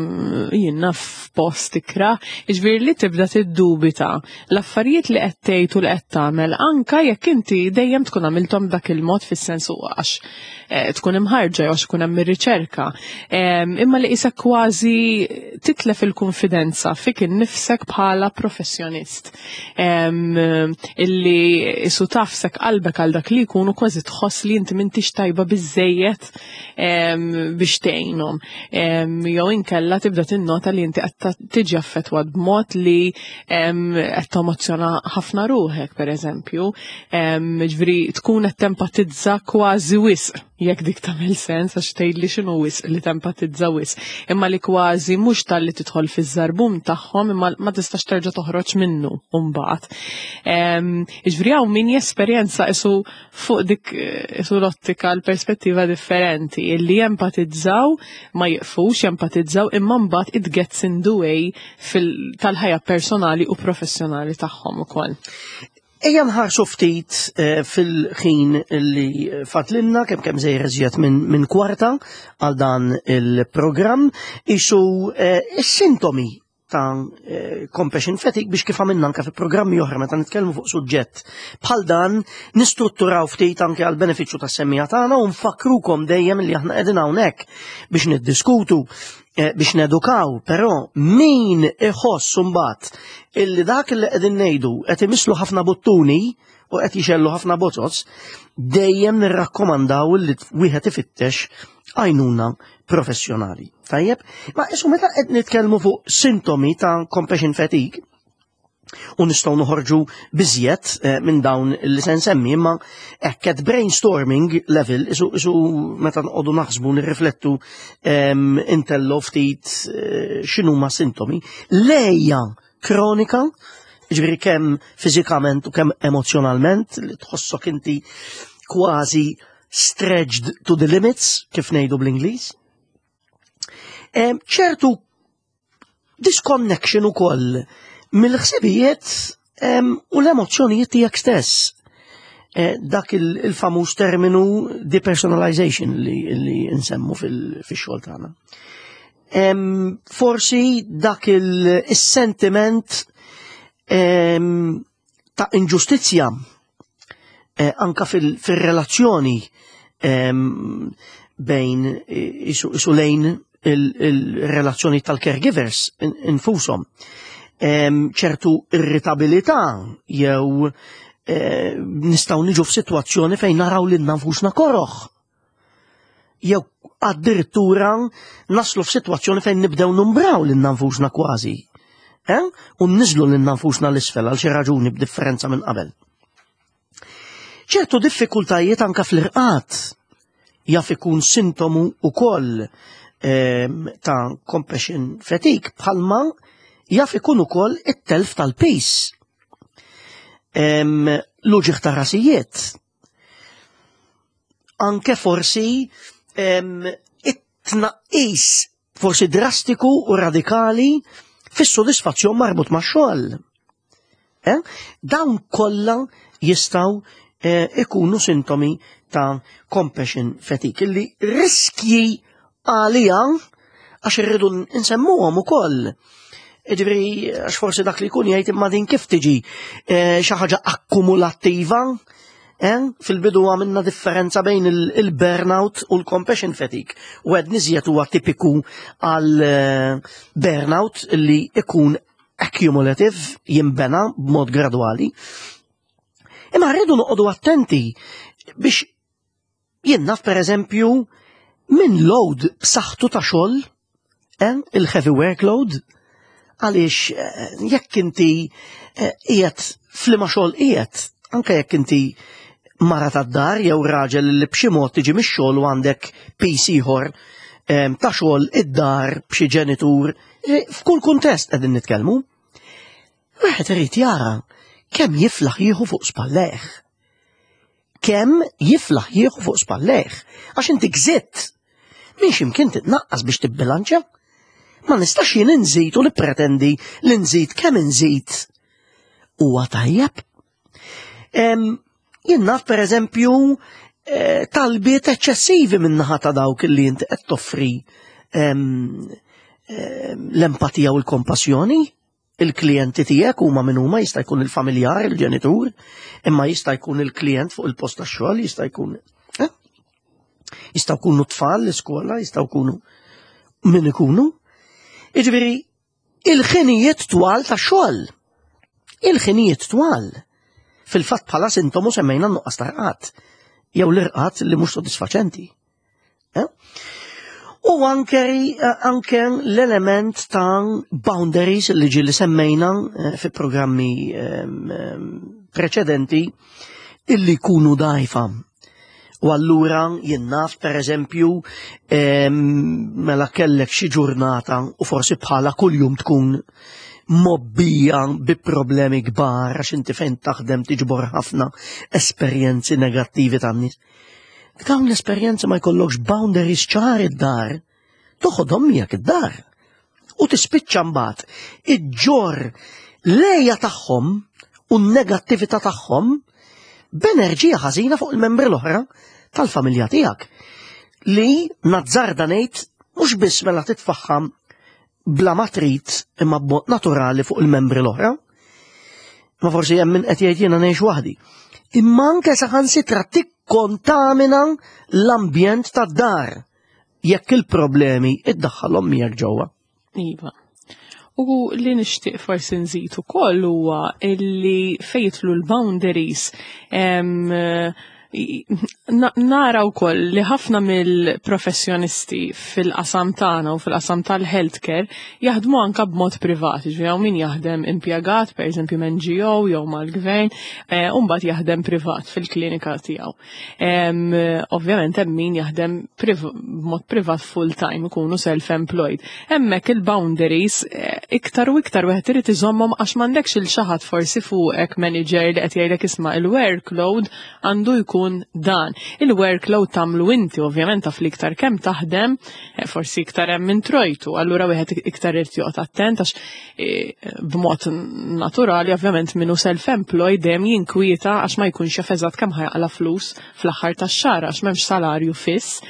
jiena f'post ikrah. Jiġifieri li tibda tiddubita l-affarijiet li qed tgħid u li qed tagħmel, anka jekk inti dejjem tkun għamilthom dak il-mod, fis-sens għax eh, tkun imħarġa jew għax ikun hemm ir-riċerka. Imma li qisek kważi titlef il-konfidenza fik innifsek bħala professjonist. Illi isu tafsek qalbek għal dak li jkunu, kważi tħoss li inti m'intix tajba biżejjed biex tgħinhom. Jew inkella tibda tinnota li inti qed tiġi affettwat b'mod li qed temozzjona ħafna ruħek, pereżempju. Ġifieri tkun qed tempatizza kważi wisq, jekk dik tagħmel sens, għax tgħidli x'inhu wisq li tempatizza wisq, imma li kważi mhux talli tidħol fiż-żarbun tagħhom imma ma tistax terġa' toħroġ minnu mbagħad. Jiġifieri hawn min jesperjenza isu fuq dik isu l-ottika, l-perspettiva differenti, illi jempatizzaw, ma jiqfux jempatizzaw, imma mbagħad it gets in the way tal-ħajja personali u professjonali tagħhom ukoll. Ejja nħarsu ftit eh, fil-ħin li fadlilna, kemm kemm żejr iżjed minn min kwarta għal dan il-programm, isu eh, is-sintomi ta' eh, compassion fatigue, biex kif għamilna anke fi programmi oħra meta nitkellmu fuq suġġett bħal dan nistrutturaw ftit anke għal benefiċċju tas-semmiegħa tagħna u nfakkrukom dejjem li aħna qegħdin hawnhekk biex niddiskutu, biex nedukaw, però min iħoss imbagħad illi dak li qegħdin ngħidu qed imislu ħafna buttuni u qed jixgħellu ħafna bozoz, dejjem nirrakkomandaw li wieħed ifittex għajnuna professjonali. Tajjeb, ma isu meta qed nitkellmu fuq sintomi ta' compassion fatigue, u nistgħu noħorġu biżjed eh, minn dawn li se nsemmi, imma hekk at brainstorming level, isu, isu meta nqogħdu naħsbu, nirriflettu, intello ftit eh, x'inhuma sintomi. L-għeja kronika, ġifieri kemm fiżikament u kemm emozjonalment, li tħossok inti kważi stretched to the limits, kif ngħidu bl-Ingliż. Ċertu disconnection ukoll mill-ħsibijiet u l-emozzjonijiet tiegħek stess. Eh, dak il-famuż terminu depersonalization li, li nsemmu fil-xogħol tagħna. Forsi dak il-sentiment ta' inġustizzja eh, anka fil-relazzjoni bejn isu lejn il-relazzjoni tal-caregivers infushom. Ċertu irritabilità jew eh, nistgħu niġu f'sitwazzjoni fejn naraw lil nfusna koroħ. Jew addirittura naslu f'sitwazzjoni fejn nibdew numbraw lil nfusna kważi. Eh? U niżlu lil nfusna l-isfel għal xi raġuni b'differenza minn qabel. Ċertu diffikultajiet anka fl-irqad jaf ikun sintomu ukoll ta' compassion fatigue, bħalma jaf ikun ukoll it-telf tal-piż. L-uġigħ ta' rasijiet. Anke forsi it-tnaqqis forsi drastiku u radikali fis-sodisfazzjon marbut ma' xogħol. Eh? Dawn kollha jistgħu eh, ikunu sintomi ta' compassion fatigue, illi riskji għalija Għax irridu nsemmuhom ukoll. Ġifieri, għax forsi dak li jkun jgħid, imma din kif tiġi, eh, xi ħaġa akkumulattiva? Eh? Fil-bidu għamilna differenza bejn il-burnout u l-compassion fatigue. U għed niżjed huwa tipiku għal eh, burnout li ikun accumulative, jimbena b'mod gradwali. Imma rridu noqogħdu attenti biex jien naf, per eżempju, minn load b'saħħtu ta' xogħol, eh, il-heavy workload, għaliex eh, jekk inti qiegħed f'liema xogħol qiegħed, anke jekk inti mara tad-dar jew raġel li b'xi mod tiġi mix-xogħol u għandek piż ieħor ta' xogħol id-dar b'xi ġenitur, eh, f'kull kuntest qegħdin nitkellmu. Wieħed irid jara kemm jiflaħ jieħu fuq spallejh. Kemm jiflaħ jieħu fuq spallejh. Għax inti gżitt. Minn x'imkien titnaqqas biex tibbilanċa. Ma nistax jien inżid u nippretendi li nżid kemm inżid. Huwa tajjeb. Jien naf, per eżempju, eh, talbiet eċċessivi min-naħa ta' dawk li inti qed toffri l-empatija u l-kompassjoni. Il-klijenti tiegħek huma min huma, jista' jkun il-familjar, il-ġenitur, imma jista' jkun il-klient fuq il-post tax-xogħol, jista' jkun eh? Jistgħu jkunu tfal l-iskola, jistgħu jkunu min ikunu. Jiġifieri il-ħinijiet twal ta' xogħol. Il-ħinijiet twal. Fil-fatt bħala sintomu semmejna nuqqas ta' rqad jew l-irqad li mhux sodisfaċenti. Eh? U anke, anke l-element ta' boundaries li ġi li semmejna eh, fi programmi ehm, preċedenti illi jkunu dajfa. U allura jien naf, per eżempju, ehm, mela kellek xi ġurnata u forsi bħala kuljum tkun mgħobbija bi problemi kbar għax inti fejn taħdem tiġbor ħafna esperjenzi negattivi tan-nies. Dawn l-esperjenzi ma jkollokx boundaries ċar id-dar, toħodhom miegħek id-dar. U tispiċċa mbagħad iġġorr l-għeja tagħhom u n-negattività tagħhom b'enerġija ħażina fuq il-membri l-oħra tal-familja tiegħek. Li nazzarda ngħid mhux biss mela titfaħħam bla ma trid imma b'mod naturali fuq il-membri l-oħra. Ma forsi hemm min qed jgħid, jiena ngħix waħdi. Imma anke saħansitra tikkontamina l-ambjent tad-dar jekk il-problemi iddaħħalhom miegħek ġewwa. Iva. U li nixtieq forsi nżid ukoll huwa illi fejn jidħlu l-boundaries em, nara wkoll li ħafna mill-professjonisti fil-qasam tagħna u fil-qasam tal-healthcare jaħdmu anka b'mod privat, ġifieri min jaħdem impjegat, pereżempju N G O jew mal-gvern, eh, u mbagħad jaħdem privat fil-klinika tiegħu. Ovvjament hemm min jaħdem b'mod privat full time, ikunu self-employed. Hemmhekk il-boundaries eh, iktar u iktar wieħed irid iżommhom għax m'għandekx lil xi ħadd forsi fuqek manager li qed jgħidlek, isma', il-workload għandu jkun dan. Il-workload tagħmlu inti, ovvjament taf li iktar kemm taħdem, eh, forsi iktar hemm introjtu, allura wieħed iktar irid joqgħod attent għax eh, b'mod naturali ovvjament minnu self-employed dejjem jinkwieta għax ma jkunx jaf eżatt kemm ħa jaqla' flus fl-aħħar tax-xahar għax m'hemmx salarju fiss.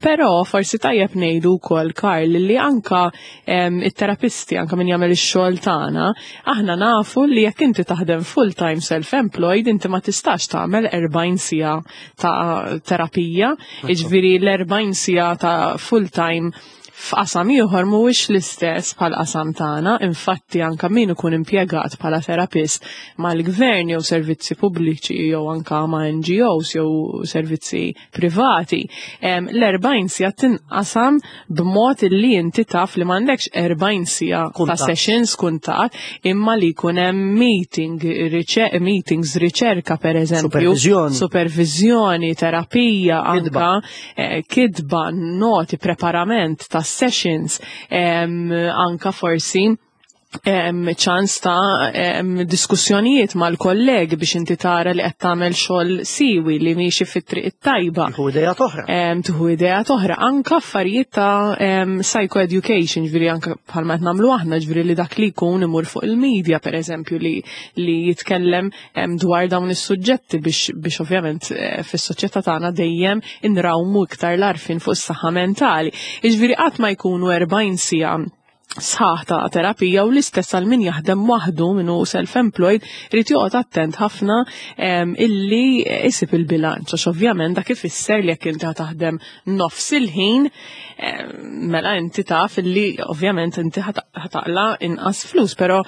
Però forsi tajjeb ngħidu wkoll, Karl, li anka it-terapisti, anka min jagħmel ix-xogħol tagħna, aħna nafu li jekk inti taħdem full-time self-employed, inti ma tistax tagħmel erbgħin siegħa ta' terapija, jiġifieri l-erbgħin siegħa ta' full-time f'qasam ieħor mhuwiex l-istess bħal qasam tagħna. Infatti anka min ikun impjegat bħala terapist mal-gvern jew servizzi pubbliċi jew anka ma' N G Os jew servizzi privati, l-erbgħin siegħa tinqasam b'mod li inti taf li m'għandekx erbgħin siegħa ta' sessions kuntat, imma li jkun hemm meeting, meetings, riċerka per eżempju, supervizjoni, supervizjoni, terapija, anka eh, kitba, noti, preparament ta' sessions, anka forsi Ċans ta' diskussjonijiet mal-kollegi biex inti tara li qed tagħmel xogħol siwi, li miexi fit-triq it-tajba. Tieħu ideat oħra. Tieħu ideat oħra. Anka affarijiet ta' psychoeducation, ġifieri anka bħalma qed nagħmlu aħna, ġifieri li dak li jkun imur fuq il-media, per eżempju, li, li jitkellem dwar dawn is-suġġetti biex, biex ovvjament eh, fis-soċjetà tagħna dejjem inrawmu iktar l-għarfien fuq is-saħħa mentali. Jiġifieri qatt ma jkunu erbgħin siegħa sħaħ ta' terapija, u l-istess għal min jaħdem waħdu, minnu self-employed, irid joqgħod attent ħafna illi isib il-bilanċ, għax ovvjament dak ifisser li jekk inti taħdem nofs il-ħin, mela inti taf illi ovvjament inti ħa taqla' inqas flus, però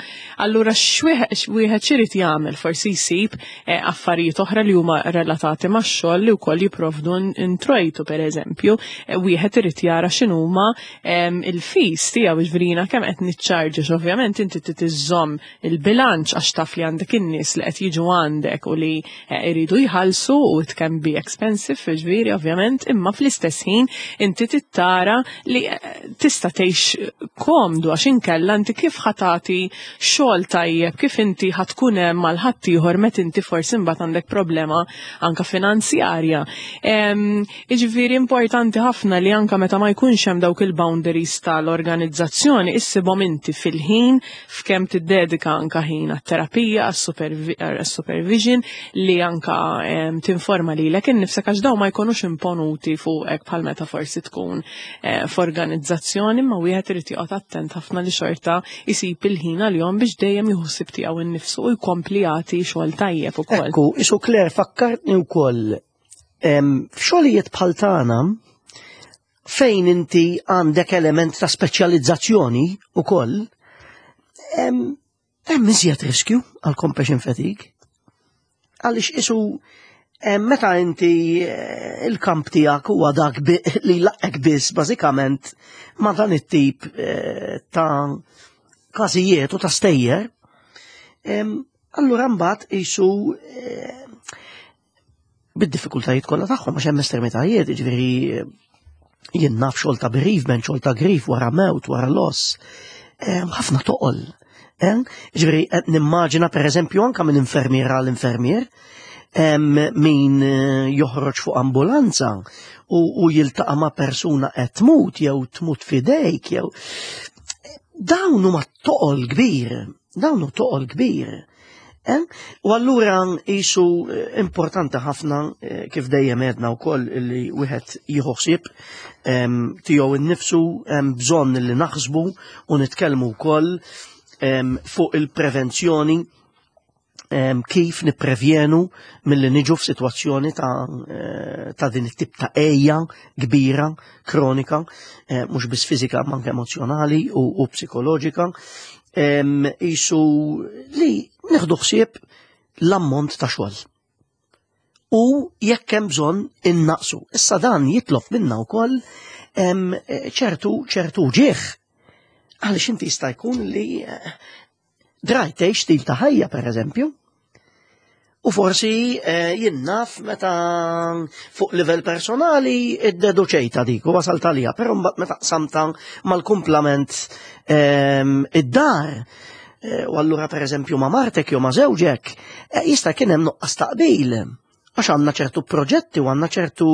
allura x'wieħed x'irid jagħmel? Forsi jsib eh, affarijiet oħra li huma relatati max-xogħol li wkoll jipprovdu introjtu. Pereżempju, eh, wieħed irid jara x'inhuma il-fees tiegħu, jiġifieri jiena kemm qed niċċarġa. Ovvjament inti trid iżżomm il-bilanċ għax taf li għandek in-nies li qed jiġu għandek u li eh, iridu jħallsu u it can be expensive, ġifieri ovvjament, imma fl-istess ħin inti tittara li eh, tista' tgħix komdu, għax inkella inti kif ħa tagħti xogħol tajjeb, kif inti ħa tkun hemm mal ħaddieħor meta inti forsi mbagħad għandek problema anka finanzjarja? Jiġifieri importanti ħafna li anka meta ma jkunx hemm dawk il-boundaries tal-organizzazzjoni, issibhom inti fil-ħin f'kemm tiddedika anka ħin għat-terapija, għas-supervision, li anka tinforma lilek innifsek, għax daw ma jkunux imponuti fuqek bħal meta forsi tkun eh, f'organizzazzjoni, ma wieħed irid joqgħod attent ħafna li xorta isib il-ħin għalihom biex dejjem jieħu ħsieb tiegħu innifsu u jkompli jagħti xogħol tajjeb ukoll. Ekku, isu Claire, fakkartni wkoll f'xogħlijiet bħal tagħna fejn inti għandek element ta' speċjalizzazzjoni ukoll, hemm iżjed riskju għal compassion fatigue. Għaliex isu meta inti eh, il-kamp tiegħek huwa dak li laqek biss bażikament ma' dan it-tip eh, ta' każijiet u ta' stejjer, allura mbagħad isu eh, bid-diffikultajiet kollha tagħhom, għax hemm estremitajiet, jiġifieri jien naf xogħol ta' bereavement, xogħol ta' grief wara mewt, wara loss, ħafna toqol. Ġifieri nimmaġina, per eżempju, anka minn infermiera għal infermier, min eh, joħroġ fuq ambulanza u, u jiltaqa' ma' persuna qed tmut jew tmut f'idejk jew dawn huma toqol kbir, dawn hu toqol kbir. U allura jisu eh, importanti ħafna, eh, kif dejjem għedna wkoll, li wieħed jieħu ħsieb tiegħu innifsu, hemm bżonn li naħsbu u nitkellmu wkoll fuq il-prevenzjoni, kif nipprevjenu milli niġu f'sitwazzjoni ta', eh, ta' din it-tip ta' għeja kbira, kronika, mhux biss fiżika ma anke emozjonali u, u psikoloġika. Isu li nieħdu ħsieb l-ammont ta' xogħol. U jekk hemm bżonn innaqsu. Issa dan jitlob minna wkoll ċertu ċertu ġieħ. Għaliex inti jista' jkun li eh, drajt tgħix stil ta' ħajja, per eżempju. U forsi eh, jien naf meta fuq livell personali iddeduċejta dik u wasalt għalija, però mbagħad meta qsamta mal-kumplament ehm, id-dar, eh, u allura per eżempju ma' martek jew ma' żewġek, eh, jista' kien hemm nuqqas taqbil. Għax għandna ċertu proġetti u għandna ċertu,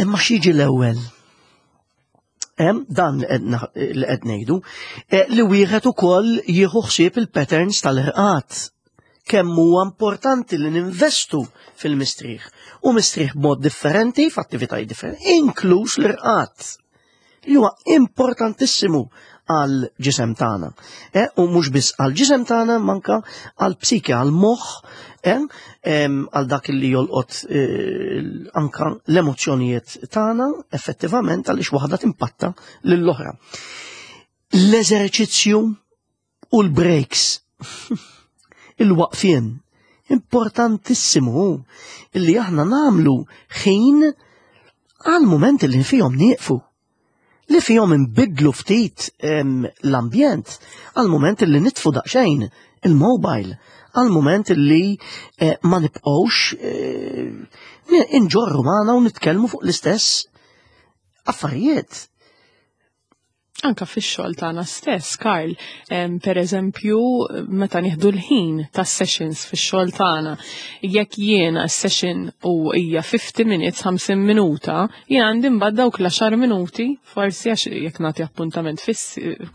imma x'jiġi l-ewwel? Dan li qed ngħidu li wieħed ukoll jieħu ħsieb il-patterns tal-irqad. Kemm huwa importanti li ninvestu fil-mistrieħ u mistrieħ b'mod differenti f'attivitajiet differenti, inkluż l-irqad, li huwa importantissimu għal ġisem tagħna. E, u mhux biss għal ġisem tagħna, manka għal psike, għal moħħ, e, għal dak li jolqot e, anka l-emozzjonijiet tagħna effettivament, għaliex waħda timpatta lill-oħra. L-eżerċizzju u l-breaks. Il-waqfien importantissimu illi aħna namlu ħin għal moment li fihom nieqfu, li fihom nbidlu ftit l-ambjent, għal moment li nitfu daqsxejn il-mobile, għal moment li eh, ma nibqgħux eh, inġorru magħna u nitkellmu fuq l-istess affarijiet. Anka fix-xogħol tagħna stess, Karl, em, per eżempju, meta nieħdu l-ħin tas sessions fix-xogħol tagħna, jekk jiena session u hija fifty minutes, ħamsin minuta, jien għandi mbagħad dawk l-għaxar minuti, forsi għax jekk nagħti appuntament fis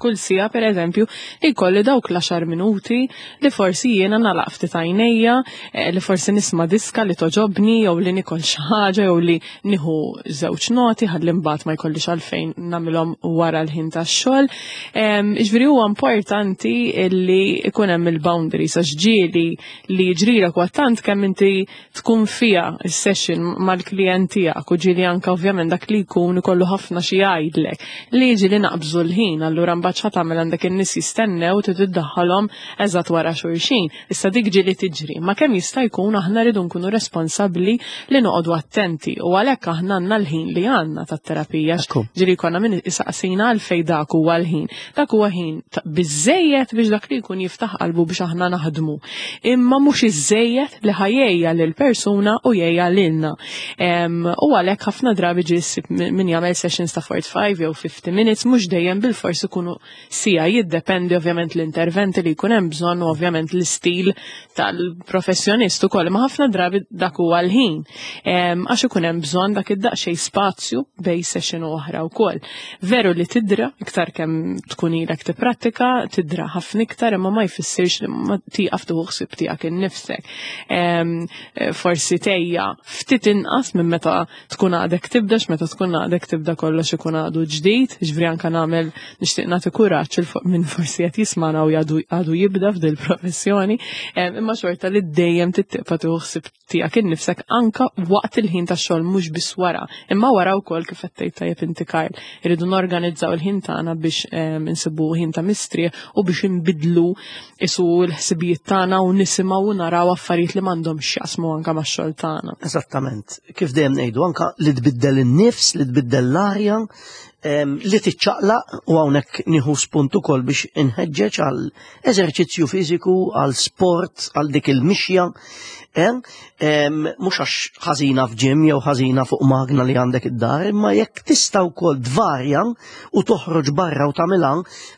kull siegħa, per eżempju, li jkolli dawk l-għaxar minuti li forsi jiena nagħlaq ftit għajnejja, eh, li forsi nisma' diska li togħġobni, jew li nikol xi ħaġa, jew li nieħu żewġ noti ħalli mbagħad ma jkollix għalfejn nagħmilhom wara l-ħin tax-xogħol. Ġifieri huwa importanti li ikun hemm il-boundaries, għax ġieli li jiġrilek huwa tant kemm inti tkun fiha is-session mal-klient tiegħek, u ġieli anke ovvjament dak li jkun ikollu ħafna xi jgħidlek li jiġi naqbżu l-ħin, allura mbagħad x'ħa tagħmel, għandek in-nies jistennew, trid iddaħħalhom eżatt wara xulxin. Issa dik ġieli tiġri, ma kemm jista' jkun aħna rridu nkunu responsabbli li noqogħdu attenti, u għalhekk aħna għandna l-ħin li għandna tat-terapija. Ekku. Ġieli konna min isaqsina għalfejn dak huwa l-ħin. Dak huwa ħin ta- biżejjed biex dak li jkun jiftaħ qalbu biex aħna naħdmu. Imma mhux iżejjed li ħa jgħejja lil persuna u jgħejja lilna. Em, u għalhekk ħafna drabi ġie ssib min min jagħmel sessions ta' forty-five jew fifty minutes, mhux dejjem bil-fors ikunu siegħa, jiddependi ovvjament l-interventi li jkun hemm bżonn u ovvjament l-istil tal-professjonist ukoll, ma ħafna drabi dak huwa l-ħin. Em, għax ikun hemm bżonn dak id-daqsxejn spazju bejn session u oħra wkoll. Veru li tidra iktar kemm tkun ilek tipprattika, tidra ħafna iktar, imma ma jfissirx li ma tieqaf tieħu ħsieb tiegħek innifsek. Em, eh, forsi tgħejja ftit inqas minn meta tkun għadek tibda, meta tkun għadek tibda kollox ikun għadu ġdid, ġifieri anka nagħmel nixtieq nagħti kuraġġ il fuq minn forsi qed jismana u għadu għadu jibda f'dil professjoni, em, imma xorta li dejjem tibqa' tieħu ħsieb tiegħek innifsek anka waqt il-ħin tax-xogħol, mhux biss wara. Imma wara wkoll, kif qed tgħid tajjeb inti, Karl, irridu norganizzaw il-ħin tagħna biex em, insibu ħin ta' mistrieħ u biex inbidlu isu l-ħsibijiet tagħna u nisimgħu u naraw affarijiet li m'għandhomx x'jaqsmu anka max-xogħol tagħna. Eżattament. Kif dejjem ngħidu, anka li tbiddel in-nifs, li tbiddel l-arja, em, li tiċċaqlaq, u hawnhekk nieħu spunt ukoll biex inħeġġeġ għal eżerċizzju fiżiku, għal sport, għal dik il-mixja. Em, em, mhux għax ħażina f'gym jew ħażina fuq magna li għandek id-dar, imma jekk tista' wkoll tvarja u toħroġ barra u tagħmilha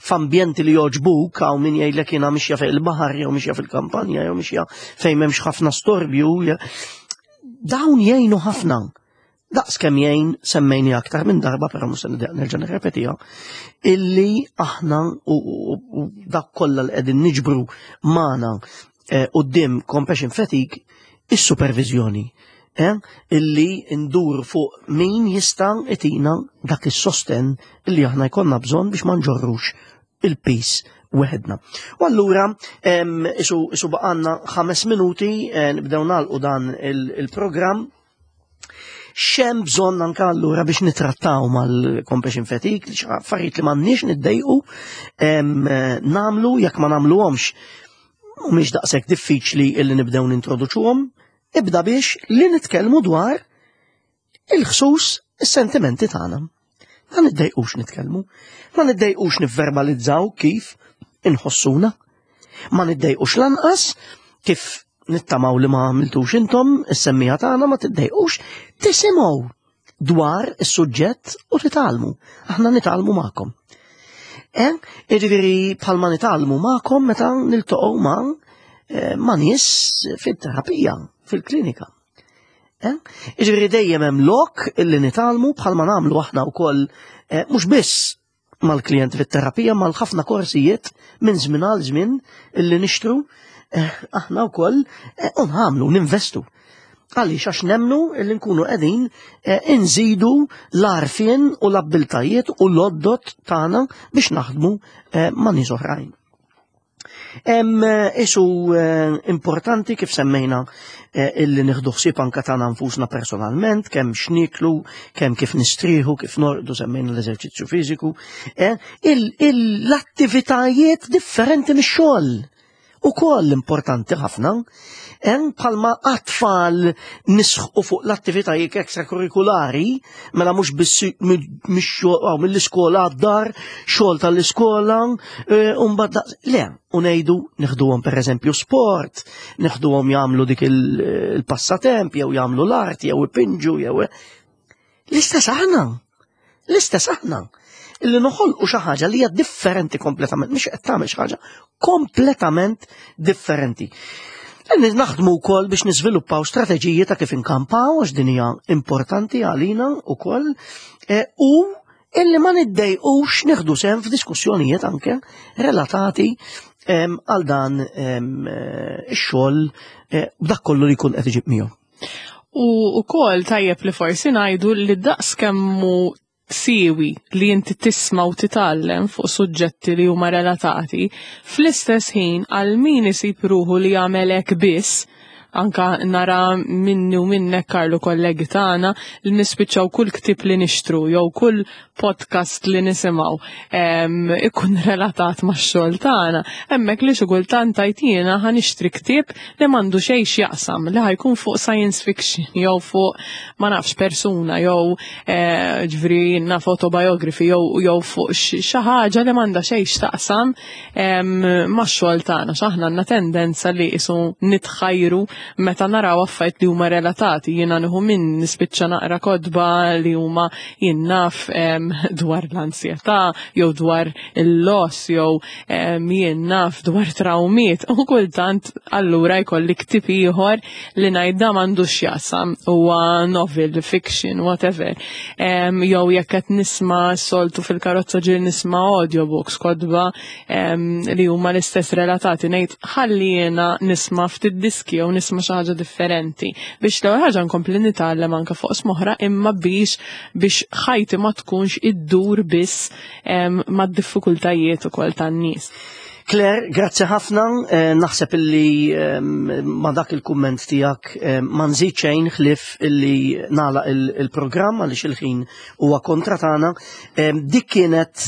f'ambjenti li jogħġbuk, hawn min jgħidlek jiena mixja fejn il-baħar jew mixja fil-kampanja jew mixja fejn m'hemmx ħafna storbju, je- dawn jgħinu ħafna. Daqs kemm jgħin, semmejni aktar minn darba, però mhux se nerġa' nirrepetiha, illi aħna u, u, u dak kollha li qegħdin niġbru magħna eh, quddiem compassion fatigue, is-supervizjoni. Eh, illi ndur fuq min jista' itina dak is-sosten illi aħna jkollna bżonn biex ma nġorrux il-piż weħedna. U allura em, isu, isu baqgħalna ħames minuti, eh, nibdew nagħlqu dan il- il-programm. X'hemm bżonn anka allura biex nitrattaw mal-compassion fatigue, li affarijiet li m'għandniex niddejqu em, eh, nagħmlu, jekk ma nagħmluhomx mhumiex daqshekk diffiċli illi nibdew nintroduċuhom, ibda biex li nitkellmu dwar il-ħsus, is-sentimenti tagħna. Ma niddejqux nitkellmu, ma niddejqux nivverbalizzaw kif inħossuna, ma niddejqux lanqas, kif nittamaw li ma għamiltux intom, is-semmiegħa tagħna, ma tiddejqux tisimgħu dwar is-suġġett u titgħallmu. Aħna nitgħallmu magħkom. Eh, Jiġifieri bħalma nitgħallmu magħkom meta niltaqgħu ma' eh, ma' nies fit-terapija, fil-klinika. Eh? Jiġifieri dejjem hemm lok illi nitgħallmu, bħalma nagħmlu aħna wkoll eh, mhux biss mal-klijenti fit-terapija, mal-ħafna korsijiet minn żmien għal żmien illi nixtru eh, aħna wkoll eh, u nagħmlu, ninvestu. Għaliex? Għax nemnu illi nkunu qegħdin eh, inżidu l-għarfien u l-abbiltajiet u l-għodod tagħna biex naħdmu eh, ma' nies oħrajn. Em, eh, Isu eh, importanti, kif semmejna, eh, illi nieħdu ħsieb anka tagħna nfusna personalment, kemm x'niklu, kemm kif nistrieħu, kif norqdu, semmejna l-eżerċizzju fiżiku, eh, il- il- l-attivitajiet differenti mix-xogħol ukoll importanti ħafna, hemm bħalma għat-tfal nisħu fuq l-attivitajiet ekstrakurrikulari, mela mhux biss mix-xogħol mill-iskola għad-dar, xogħol tal-iskola, eh, u mbagħad daqs- le, u ngħidu neħduhom pereżempju sport, neħduhom jagħmlu dik il- il-passatemp, jew jagħmlu l-arti, jew ipinġu, jew l-istess aħna. L-istess aħna. Illi noħolqu xi ħaġa li hija differenti kompletament, mhix qed tagħmel xi ħaġa kompletament differenti. Naħdmu wkoll biex niżviluppaw strateġiji ta' kif inkampaw, għax din hija importanti għalina wkoll, e, u illi ma niddejqux nieħdu sehem f'diskussjonijiet anke relatati għal dan ix-xogħol e, b'dak kollu li jkun qed iġib miegħu. U wkoll tajjeb li forsi ngħidu li daqs kemm hu siewi li inti tisma' u titgħallem fuq suġġetti li huma relatati, fl-istess ħin għal min isib ruħu li jagħmel hekk biss, anka nara minni u minnek, Karlu, kollegi tagħna li nispiċċaw kull ktib li nixtru jew kull podcast li nisimgħu ikun relatat max-xogħol tagħna. Hemmhekk li xi kultant tajt jiena ħa nixtri ktieb li m'għandu xejn x'jaqsam, li ħa jkun fuq science fiction jew fuq, ma nafx, persuna jew eh, ġifieri naf autobiography jew jew fuq xi ħaġa li m'għandha xejn x'taqsam max-xogħol tagħna. X'aħna għandna tendenza li qisu nitħajru meta naraw affarijiet li huma relatati. Jiena nieħu minn nispiċċa naqra kotba li huma, jien naf, dwar l-ansjetà jew dwar il-loss jew, jien naf, dwar traumiet u kultant allura jkolli ktib ieħor li ngħid da m'għandux x'jaqsam, huwa novel, fiction, whatever. Jew jekk qed nisma' soltu fil-karozza ġieli nisma' audiobooks, kotba li huma l-istess relatati, ngħid ħalli jiena nisma' ftit diski jew nisma' xi ħaġa differenti biex l-ewwel ħaġa nkompli nitgħallem anke fuq oqsma oħra, imma biex biex ħajti ma tkunx iddur biss mad-diffikultajiet ukoll tan-nies. Claire, grazzi ħafna, eh, naħseb illi eh, ma dak il-kumment tiegħek eh, ma nżid xejn ħlif illi nagħlaq il-programm għaliex il-ħin huwa kontra tagħna. Dik kienet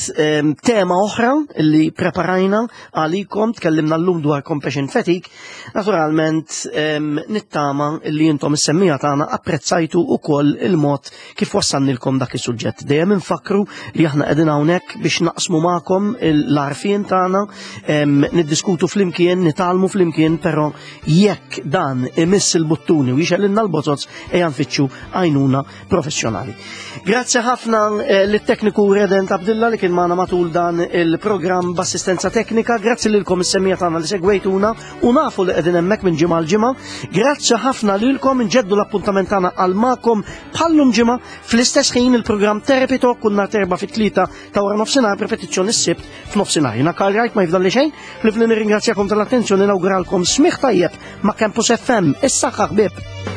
tema oħra illi preparajna għalikom, tkellimna llum dwar compassion fatigue. Naturalment nittama illi intom is-semmiegħa tagħna apprezzajtu ukoll il-mod kif wassannilkom dak is-suġġett. Dejjem infakru li aħna qegħdin hawnhekk biex naqsmu magħkom l-għarfien tagħna, niddiskutu flimkien, nitgħallmu flimkien, però jekk dan imiss il-buttuni u jixgħelilna l-bozoz, ejja nfittxu għajnuna professjonali. Grazzi ħafna eh, lit-tekniku Redent Abdilla li kien magħna matul dan il-programm b'assistenza teknika, grazzi lilkom is-semmiegħa tagħna li segwejtuna u nafu li qegħdin hemmhekk minn ġimgħa l ġimgħa. Grazzi ħafna lilkom, nġeddu l-appuntament tagħna għal magħkom bħallum ġimgħa fl-istess ħin, il-programm Therapy Talk kull nhar Erbgħa fit-tlieta ta' wara nofsinhar, repetizzjoni s-Sibt f'nofsinhar. Jiena Karl Wright, ma jifdalli xejn ħlief li nirringrazzjakom tal-attenzjoni, nawguralkom smigħ tajjeb ma' Campus F M. Is-saħħa, ħbieb.